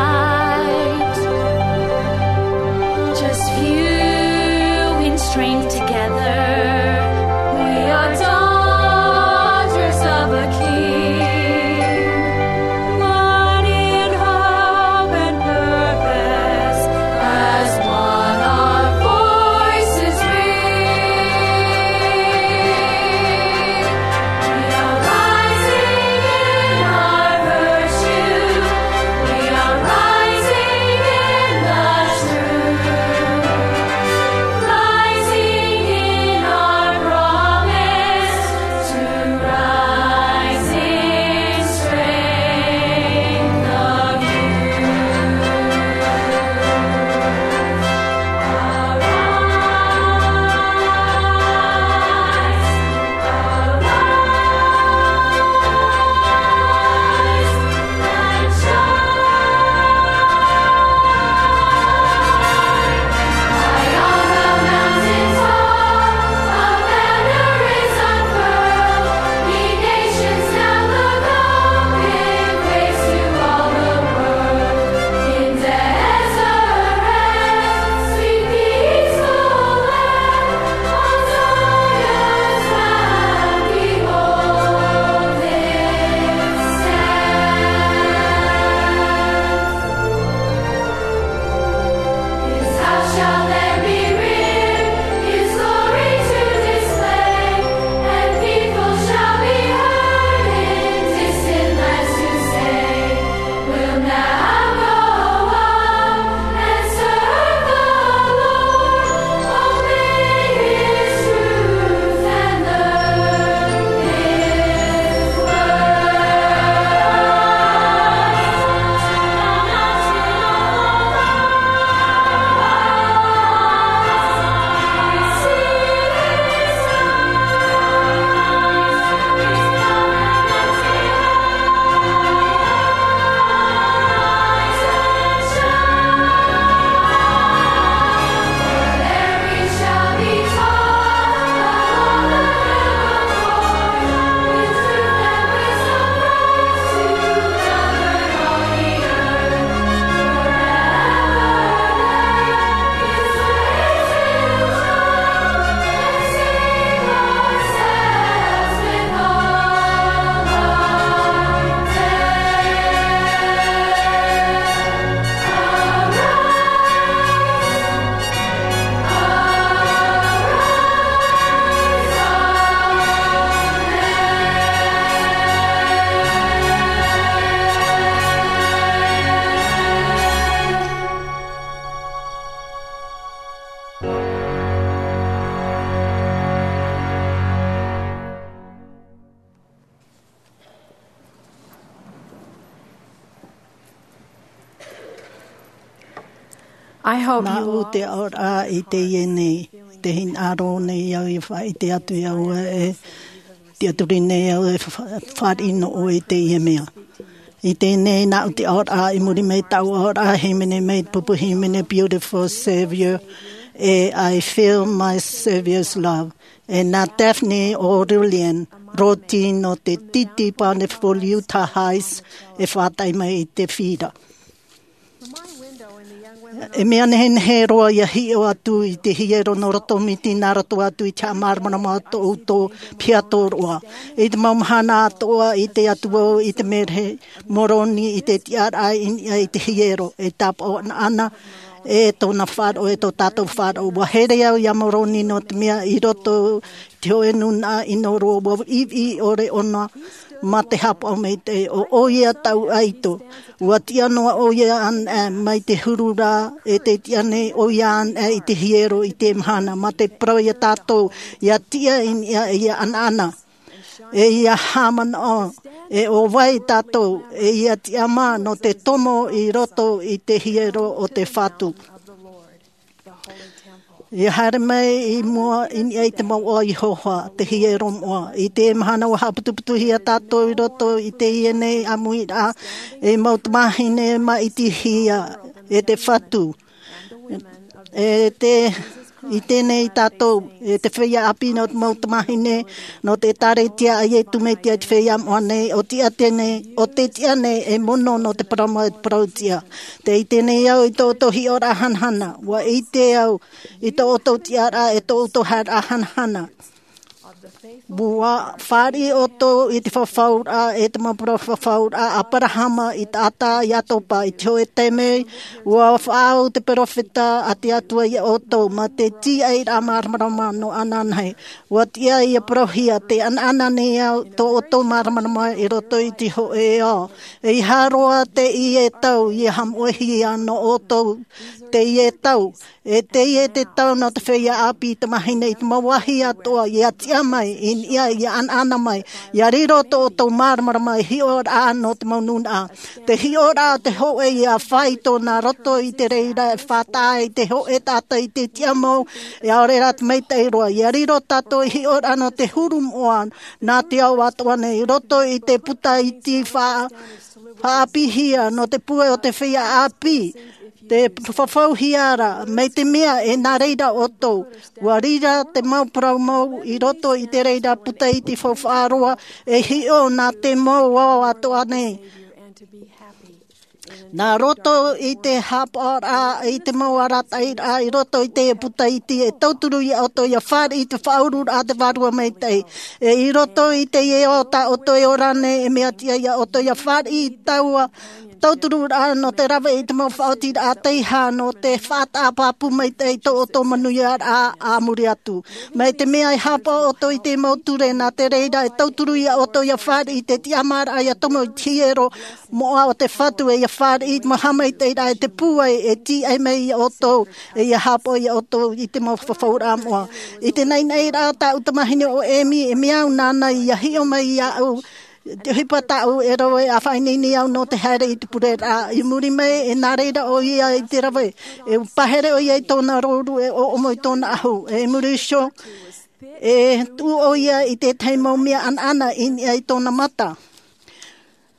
Nāʻu te aʻoraʻa i teie nei, te hinaʻaro nei au i faʻaʻite atu iā ʻoe e tiʻaturi nei au e fa-, fāriʻi nō ʻoe i teie mea. I teie nei nāʻu te aʻoraʻa, i muri mai tāʻu aʻoraʻa, hīmene mai te pupu hīmene Beautiful Savior, e I Feel My Savior's Love. E nā Daphne O'Rillian, roti nō te Titi Bonneville Utah Heights, e faʻataʻi mai i te fira. E mea nehenehe roa ia hiʻo atu i te hiero nō roto miti nā roto atu i te haʻamāramarama o tō ʻoutou piha tōroʻa. I te mau mahana atoʻa i te atu au i te mea rahi Moroni i te tiʻaraʻa i niʻa i te hiero, e tāpaʻo ʻanaʻana, e tōna faʻaroʻo, e tō tātou faʻaroʻo. Ua here au iā Moroni nō te mea i roto te hōʻē nūnaʻa ʻino roa, ua viʻiviʻi ʻore ʻōna mā te haʻapaʻo maitaʻi, ʻo ʻoia tāʻu ʻaito. Ua tiʻa noa ʻoia anaʻe mai te huru ra, e tē tiʻa nei ʻoia anaʻe i te hiero i te mahana, mā te parau iā tātou, ia tiʻa i niʻa, ia ʻanaʻana, e ia haʻamanaʻo, e ʻo vai tātou, e ia tiʻamā nō te tomo i roto i te hiero o te Fatu. Ia haere mai i mua i niʻa i te mau ʻoaʻoa Iehova, te hiero moʻa. I te mahana ua haʻaputuputuhia tātou i roto i teie nei ʻāmuiraʻa, ei mau tamāhine maʻitihia e te Fatu. E te, i teie nei tātou, e te feiā ʻāpī nō te mau tamāhine, nō te ʻĒtārētia a Iesu Mesia i te feiā moʻa nei, ʻo tiʻa teie nei, ʻo tē tiʻa nei e mono nō te parau mau, e te parau tiʻa. Tē ʻite nei au i tō ʻoutou hiʻoraʻa hanahana, ua ʻite au i tō ʻoutou tiʻaraʻa, e tō ʻoutou haereraʻa hanahana. Ua fāriʻi ʻoutou i te fafauraʻa, e te mau parau fafauraʻa a Aberahama, i taʻata, Iakoba, i te hōʻē taime, ua faʻaau te peropheta a te Atua iā ʻoutou, mā te tīaʻiraʻa māramarama nō ananahi. Ua tiʻa ia parauhia, tē ʻanaʻana nei au tō ʻoutou māramarama i roto i te hōʻē ao. ʻEiaha roa teie tau, ia haʻamoʻehia nō ʻoutou teie tau. E teie te tau nō te feiā ʻāpī tamāhine i te mau vāhi atoʻa, ia tiʻa mai i niʻa, ia ʻanaʻana mai, ia riro tō ʻoutou māramarama i hiʻoraʻa nō te mau nūnaʻa. Te hiʻoraʻa o te hōʻē ia faito nā roto i te reira e faʻataʻa i te hōʻē taʻata i te tiʻa mau, e ʻaore rā te maitaʻi roa. Ia riro tātou i hiʻoraʻa nō te huru moʻa nā te ao atoʻa nei, i roto i te puta iti fa-, faʻaʻāpīhia nō te pūai o te feiā ʻāpī. Te fafauhia ra, mai te mea e nā reira ʻoutou. Ua riro te mau parau mau i roto i te reira puta iti faufaʻa roa, e hiʻo nā te mau ao atoʻa nei. Nā roto i te haʻapaʻoraʻa, i te mau arataʻiraʻa, i roto i te puta iti, e tauturu iā ʻoutou ia fāriʻi i te faʻaururaʻa a te Vārua Maitaʻi. E i roto i teie ao tā ʻoutou e ora nei, e mea tiʻa iā ʻoutou ia fāriʻi i taua tautururaʻa nō te rave i te mau faʻaotiraʻa teiaha nō te faʻataʻa pāpū maitaʻi i tō ʻoutou manuiaraʻa a muri atu. Mai te mea e haʻapaʻo ʻoutou i te mau ture, nā te reira e tauturu iā ʻoutou ia fāriʻi i te tiʻamāraʻa ia tomo i te hiero moʻa o te Fatu, e ia fāriʻi i te mau haʻamaitaʻiraʻa e te pūai e tīaʻi mai iā ʻoutou, e ia haʻapaʻo iā ʻoutou i te mau fafauraʻa moʻa. I te naʻinaʻiraʻa o tāʻu tamāhine ʻo Emi, e mea au nāna ia hiʻo mai iāʻu, te ʻohipa tāʻu e rave, ʻa faʻaineine au nō te haere i te pureraʻa. I muri mai, e nā reira ʻoia i te rave, e pahere ʻoia i tōna rōru, e ʻoʻomo i tōna ʻahu. E i muri iho, e tuʻu ʻoia i te tahi mau mea ʻanaʻana i niʻa i tōna mata.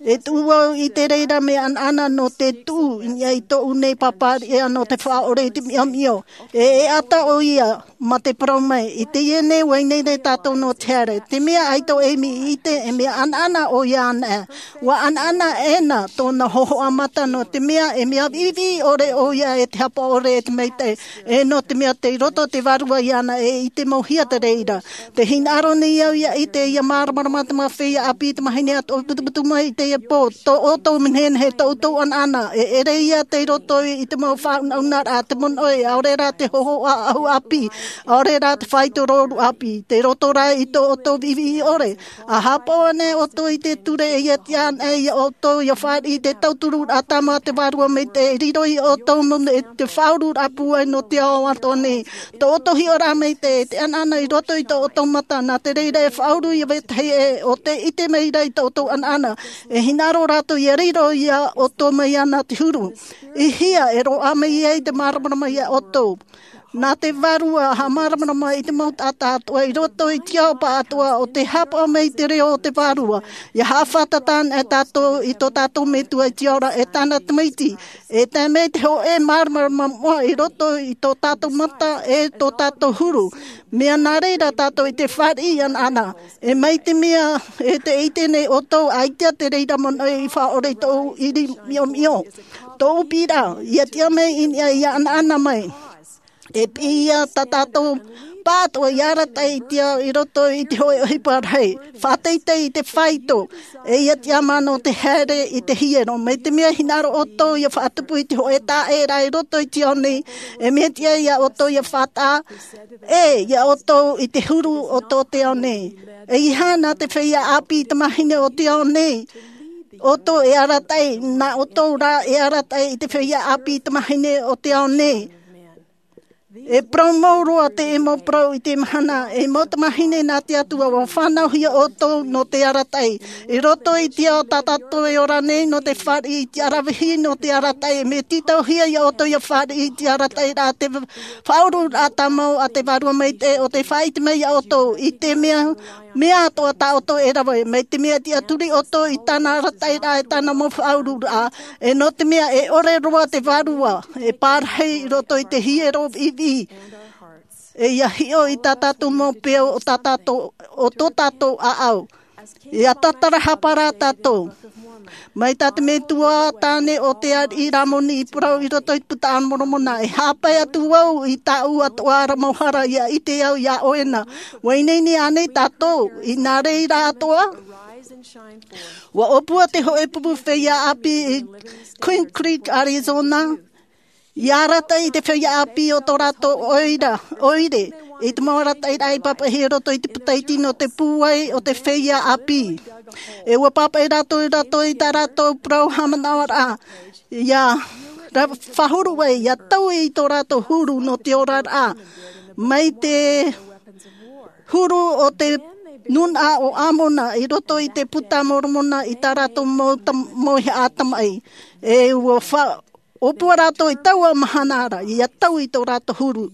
E tuʻu au i te reira mea ʻanaʻana nō te tuʻu i niʻa i tōʻu nei pāpāriʻi nō te faʻaʻore i te miomio. E, e ʻata ʻoia, mā te parau mai, i teie nei, ʻua ineine tātou nō te haere. Te mea ʻaita ʻo Emi i ʻite, e mea ʻanaʻana ʻoia anaʻe. ʻUa ʻanaʻana ʻēna tōna hōhoʻa mata nō te mea, e mea viʻiviʻi ʻore ʻoia e te haʻapaʻo ʻore e te maitaʻi. E nō te mea tei roto te Vārua iāna, e ʻitemauhia te reira. Tē hinaʻaro nei au ia ʻite, ia māramarama te mau feiā ʻāpī, tamāhine atoʻa e putuputu mai i teie pō, tō ʻoutou nehenehe, tō ʻoutou ʻanaʻana, e ʻere ia tei roto i te mau faʻaunaunaraʻa, te monoʻi, ʻaore rā te hōhoʻa ʻahu ʻāpī, ʻaore rā te faito rōru ʻāpī, tei roto rā i tō ʻoutou viʻiviʻi ʻore. ʻA haʻapaʻo anaʻe ʻoutou i te ture, e ia tiʻa anaʻe iā ʻoutou ia fāriʻi i te tautururaʻa tāmau a te Vārua Maitaʻi, e riro iā ʻoutou mau e te faʻaururaʻa pūai nō te ao atoʻa nei. Tō ʻoutou hiʻoraʻa maitaʻi, te ʻanaʻana i roto i tō ʻoutou mata, nā te reira e faʻauru ia vetahi ʻē, ʻo tē ʻite mai ra i tō ʻoutou ʻanaʻana. E Hinaʻaro rātou ia riro ia ʻoutou mai iāna te huru. I hea e roaʻa mai ai te māramarama ia ʻoutou? Nā te Vārua e haʻamāramarama i te mau taʻata atoʻa i roto i te ao pāʻatoʻa o te haʻapaʻo mai i te reo o te Vārua. Ia haʻafātata anaʻe tātou i tō tātou Metua i te ao ra e tāna Tamaiti. E tae mai te hōʻē māramarama moʻa i roto i tō tātou mata e tō tātou huru. Mea nā reira tātou i te fāriʻi anaʻana. E mai te mea e te ʻite nei ʻoutou, ʻaita te reira manaʻo i faʻaʻore i tōʻu ʻiri miomio. Tōʻu piʻiraʻa, ia tiʻa mai i niʻa, ia ʻanaʻana mai. E piʻi ia tā tātou pāʻatoʻa ia arataʻi i te ao i roto i te hōʻē ʻohipa rahi. Faʻateitei i te faito, e ia tiʻamā nō te haere i te hiero. Mai te mea hinaʻaro ʻoutou ia faʻatupu i te hōʻē taʻeraʻa i roto i te ao nei, e mea tiʻa ia ʻoutou ia faʻataʻa, e ia ʻoutou i te huru o tō te ao nei. E ʻeiaha nā te feiā ʻāpī i te tamāhine o te ao nei ʻoutou e arataʻi, nā ʻoutou rā e arataʻi i te feiā ʻāpī i te tamāhine o te ao nei. E parau mau roa te mau parau i te mahana, e mau tamāhine nā te Atua, ʻua fānauhia ʻoutou nō te arataʻi. I roto i te ao tā tātou e ora nei nō te fāriʻi i te aravihi nō te arataʻi, mea tītauhia ia ʻoutou ia fāriʻi i te arataʻi rā te faʻaururaʻa tāmau a te Vārua Maitaʻi o te faʻaʻite mai ia ʻoutou i te mea, mea atoʻa tā ʻoutou e rave, mai te mea tiʻaturi ʻoutou i tāna arataʻiraʻa e tāna mau faʻaururaʻa, e nō te mea e ʻore roa te Vārua, e pārahi i roto i te hiero viʻiviʻi. E ia hiʻo i tā tātou mau peau o tā tātou, o tō tātou ʻāʻau. Ia tātarahapa rā tātou. Mai tā te metua tāne o te ariʻi Ramoni i parau i roto i te Buka a Moromona, e haʻapae atu au i tāʻu atoʻa ra mau hara, ia ʻite au iā ʻoe na. ʻUa ineine ānei tātou i nā reira atoʻa? ʻUa ʻōpua te hōʻē pupu feiā ʻāpī i Queen Creek, Arizona, ia arataʻi i te feiā ʻāpī o tō rātou ʻoira, ʻoire, i te mau arataʻiraʻa i pāpaʻihia i roto i te puta iti nō te pūai o te feiā ʻāpī. E ʻua pāpaʻi rātou, rātou i tā rātou parau haʻamanaʻoraʻa, ia ra-, faʻahuru ai, ia taui i tō rātou huru nō te oraraʻa. Mai te huru o te nūnaʻa o Amona i roto i te Buka a Moromona i tā rātou mau tam-, mau haʻa tamaʻi. E ʻua fa-, ʻōpua rātou i taua mahana ra, ia taui i tō rātou huru.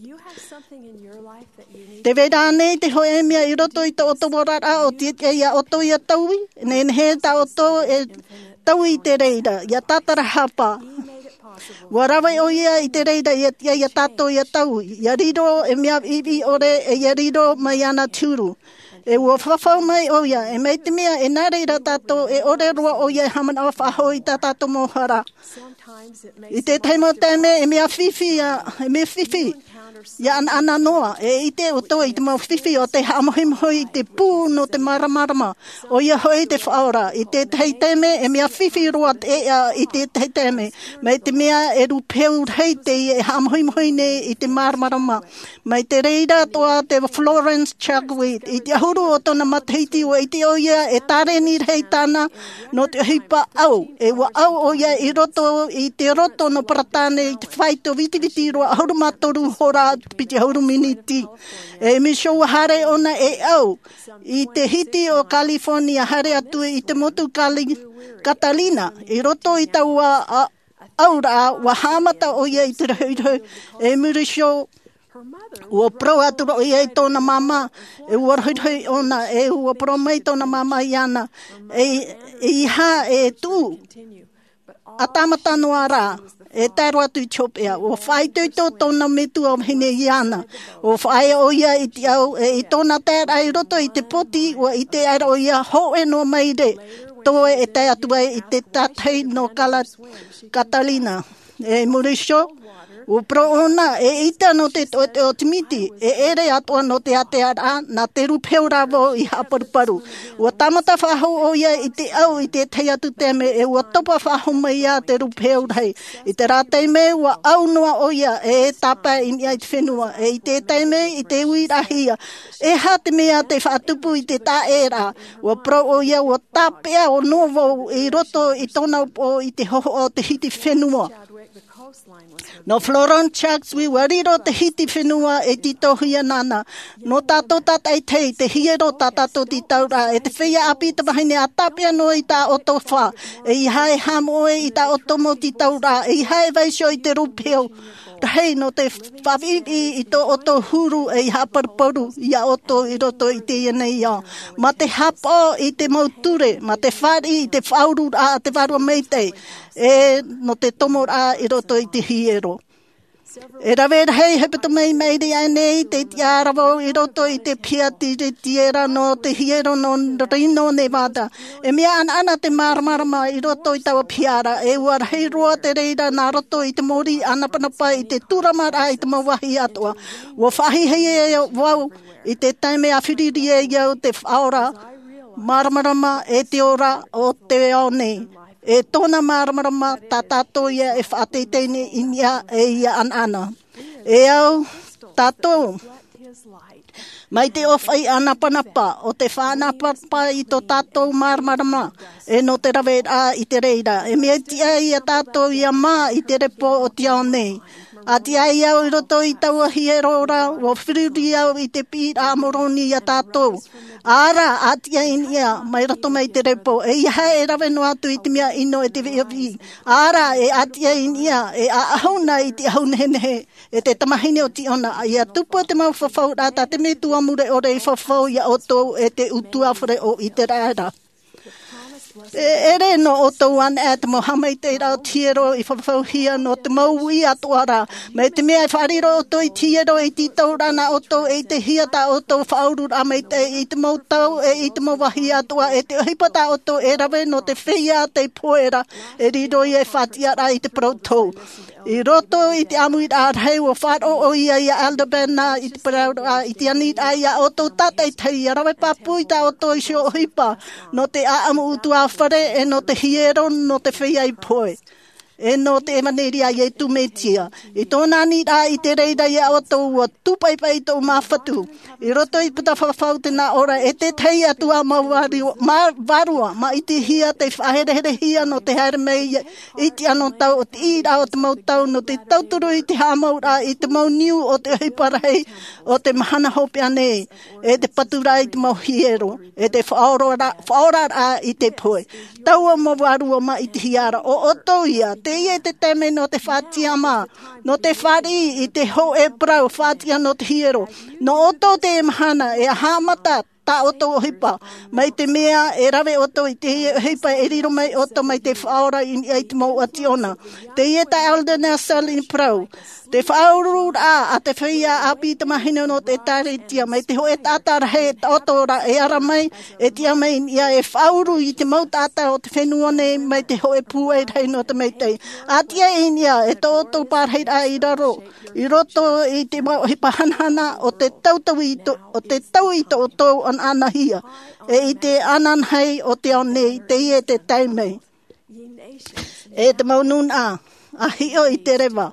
Tē vai ra ānei te hōʻē mea i roto i tō ʻoutou oraraʻa ʻo tiʻa iā ʻoutou ia taui? Nehenehe tā ʻoutou e taui i te reira, ia tātarahapa. ʻUa rave ʻoia i te reira, ia tiʻa iā tātou ia taui, ia riro e mea viʻiviʻi ʻore, e ia riro mai iāna te huru. E ʻua fafau mai ʻoia, e mai te mea e nā reira tātou, e ʻore roa ʻoia e haʻamanaʻo faʻahou i tā tātou mau hara. I te tahi mau taime, e mea fifi ia, e mea fifi ia ʻanaʻana noa, e ʻite ʻoutou i te mau fifi o tē haʻamohimohi i te pū nō te māramarama, ʻoia hoʻi te Faʻaora. I te tahi taime, e mea fifi roa te ʻēʻa i te tahi taime, mai te mea e rūpeu rahi teie e haʻamohimohi nei i te māramarama. Mai te reira atoʻa te Florence Chagwit, i te ʻahuru o tōna matahiti ʻua ʻite ʻoia e tāreni rahi tāna nō te ʻohipa ʻau. E ʻua ʻau ʻoia i roto i te roto nō Peretāne i te faito vitiviti roa ʻahuru mā toru hora piti ʻahuru miniti. E Michelle ʻua haere ʻōna e ʻau i te hiti o California, haere atu i te motu Cali-, Catalina, i roto i taua a-, ʻauraʻa, ʻua haʻamata ʻoia i te rohirohi. E Michelle, ʻua parau atu ra ʻoia i tōna māmā, e ʻua rohirohi ʻōna, e ʻua parau mai tōna māmā iāna, e, ʻeiaha e tuʻu, ʻa tāmata noa rā, e tae roa atu i te hopeʻa. ʻUa faʻaitoito tōna metua vahine iāna, ʻua faʻaea ʻoia i te ʻau, e i tōna taeraʻa i roto i te poti, ʻua ʻite aʻera ʻoia, hōʻē noa maere, toe e tae atu ai i te tātahi nō Cala-, Catalina. E Michelle, ʻua parau ʻōna, eʻita nō te toʻetoʻe o te miti, e ʻere atoʻa nō te ātearaʻa, nā te rūpeu rā vau i haʻaparuparu. ʻUa tāmata faʻahou ʻoia i te ʻau i te tahi atu taime, e ʻua topa faʻahou mai ia te rūpeu rahi. I terā taime, ʻua ʻau noa ʻoia, e tāpae i niʻa i te fenua, e i te taime, i te uiraʻahia. E aha te mea tē faʻatupu i te taʻeraʻa? ʻUa parau ʻoia, ʻua tāpeʻa noa vau i roto i tōna upoʻo i te hōhoʻa o te hiti fenua. Nō Florence Chaxwell, ʻua riro te hiti fenua e tītauhia nāna. Nō tātou tātaʻitahi, te hiero tā tātou tītauraʻa, e te feiā ʻāpī tamāhine ʻa tāpeʻa noa i tā ʻoutou fā. ʻEiaha e haʻamoʻe i tā ʻoutou mau tītauraʻa, ʻeiaha e vaiiho i te rūpehu rahi nō te faʻaviʻiviʻi i tō ʻoutou huru, ʻeiaha e paruparu ia ʻoutou i roto i teie nei ao. Mā te haʻapaʻo i te mau ture, mā te fāriʻi i te faʻaururaʻa a te Vārua Maitaʻi, e nō te tomoraʻa i roto i te hiero. E rave rahi hepetoma i maʻiri aʻenei te tiʻaraʻa i roto i te piha tiritiera nō te hiero nō Reno, Nevada. E mea ʻanaʻana te māramarama i roto i taua piha ra, e ʻua rahi roa te reira nā roto i te mōrī ʻānapanapa i te tūramaraʻa i te mau vāhi atoʻa. ʻUa faʻahiahia vau i te taime a fāriʻi ai au te Faʻaora māramarama e te ora o te ao nei. E tōna māramarama tā tātou ia e faʻateitei nei i niʻa e ia ʻanaʻana. E au tātou mai te ʻōfaʻi ʻānapanapa o te faʻaʻānapanapa i tō tātou māramarama, e nō te raveraʻa i te reira. E mea tiʻa ia tātou ia mā i te repo o te ao nei. A tiʻa ai au i roto i taua hiero ra, ʻua fāriʻi au i te piʻiraʻa a Moroni ia tātou. ʻĀ rā, a tiʻa i niʻa, mai roto mai te repo, ʻeiaha e rave noa atu i te mea ʻino e te viʻiviʻi. ʻĀ rā, e a tiʻa i niʻa, e ʻaʻahu na i te ʻahu nehenehe, e te tamāhine o Ziona, ʻia tupu te mau fafauraʻa tā te Metua mure ʻore i fafau ia ʻoutou e te ʻutuāfare o Iseraela. E ʻere nō ʻoutou anaʻe te mau haʻamaitaʻiraʻa o te hiero i fafauhia nō te mau uʻi atoʻa ra. Mai te mea e faʻariro ʻoutou i te hiero e tītau ra nā ʻoutou e ʻitehia tā ʻoutou faʻaururaʻa maitaʻi i te mau tau e i te mau vāhi atoʻa, e te ʻohipa tā ʻoutou e rave nō te feiā tei pohe ra, e riro ia e faʻatiʻaraʻa i te parau tou. I roto i te ʻāmuiraʻa rahi ʻua faʻaroʻo ia ia Elder Bednar i te parauraʻa, i te aniraʻa ia ʻoutou tātaʻitahi, ʻia rave pāpū i tā ʻoutou iho ʻohipa nō te ʻāʻamu ʻutuāfare, e nō te hiero, nō te feiā i pohe, e nō te ʻevaneria a Iesu Mesia. I tōna aniraʻa i te reira ia ʻoutou, ʻua tūpaʻipaʻi tōʻu māfatu i roto i te puta fafau te nā ora, e te tahi atu ā mau vārua, mā, vārua, mā ʻitehia tei faʻahereherehia nō te haere mai i te anotau o te ʻīraʻa o te mau tau, nō te tauturu i te haʻamauraʻa i te mau niu o te ʻohipa rahi o te mahana hopeʻa nei, e te paturaʻa i te mau hiero, e te faʻaoraraʻa, faʻaoraraʻa i te pohe. Taua mau vārua mā ʻitehia ra, ʻo ʻoutou ia, teie te taime nō te faʻatiʻa mā, nō te fāriʻi i te hōʻē parau faʻatiʻa nō te hiero, nō ʻoutou teie mahana, e haʻamata tā ʻoutou ʻohipa, mai te mea e rave ʻoutou i teie ʻohipa e riro mai ʻoutou mai te Faʻaora i niʻa i te mau ʻāti ʻōna. Teie tā Elder Nelson i parau, te faʻaururaʻa a te feiā ʻāpī tamāhine nō te ʻĒtārētia, mai te hōʻē taʻata rahi e taʻoto ra e ara mai, e tiʻa mai i niʻa e faʻauru i te mau taʻata o te fenua nei mai te hōʻē pūai rahi nō te maitaʻi. A tiʻa i niʻa e tō ʻoutou pārahiraʻa i raro, i roto i te mau ʻohipa hanahana o te tautau i tō, o te tau i tō ʻoutou anaanahia, e i te ananahi o te ao nei, teie te taime. E te mau nūnaʻa, ʻa hiʻo i te reva,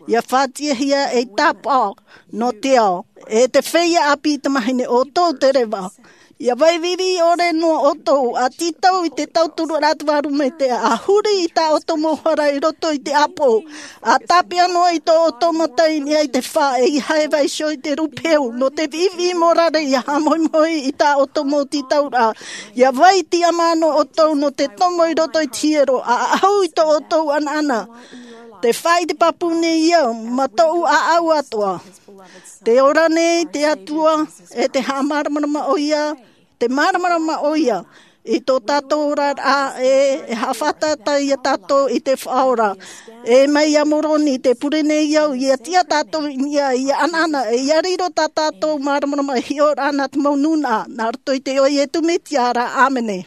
ʻia faʻatiʻahia ei tāpaʻo nō te ao, e te feiā ʻāpī tamāhine ʻoutou te reva. ʻIa vai viʻiviʻi ʻore noa ʻoutou, ʻa tītau i te tauturu ra te Vārua Maitaʻi, ʻa huri i tā ʻoutou mau hara i roto i te ʻāpoʻo, ʻa tāpeʻa noa i tō ʻoutou mata i niʻa i te fā, ʻeiaha e vaiiho i te rūpehu, nō te viʻiviʻi morare ʻia haʻamoemoe i tā ʻoutou mau tītauraʻa. ʻIa vai tiʻamā noa ʻoutou nō te tomo i roto i te hiero, ʻa ʻaʻahu i tō ʻoutou anaana. Tē faʻaʻite pāpū nei au, mā tōʻu ʻāʻau atoʻa. Tē ora nei te Atua, e tē haʻamāramarama ʻoia, tē māramarama ʻoia i tō tātou oraraʻa, e, e haʻafātata ia tātou i te Faʻaora. E mai iā Moroni, tē pure nei au, ʻia tiʻa tātou i niʻa, ʻia anaana, e ʻia riro tā tātou māramarama e hiʻo ra nā te mau nūnaʻa, nā roto i te iʻoa o Iesu Mesia ra, ʻāmene.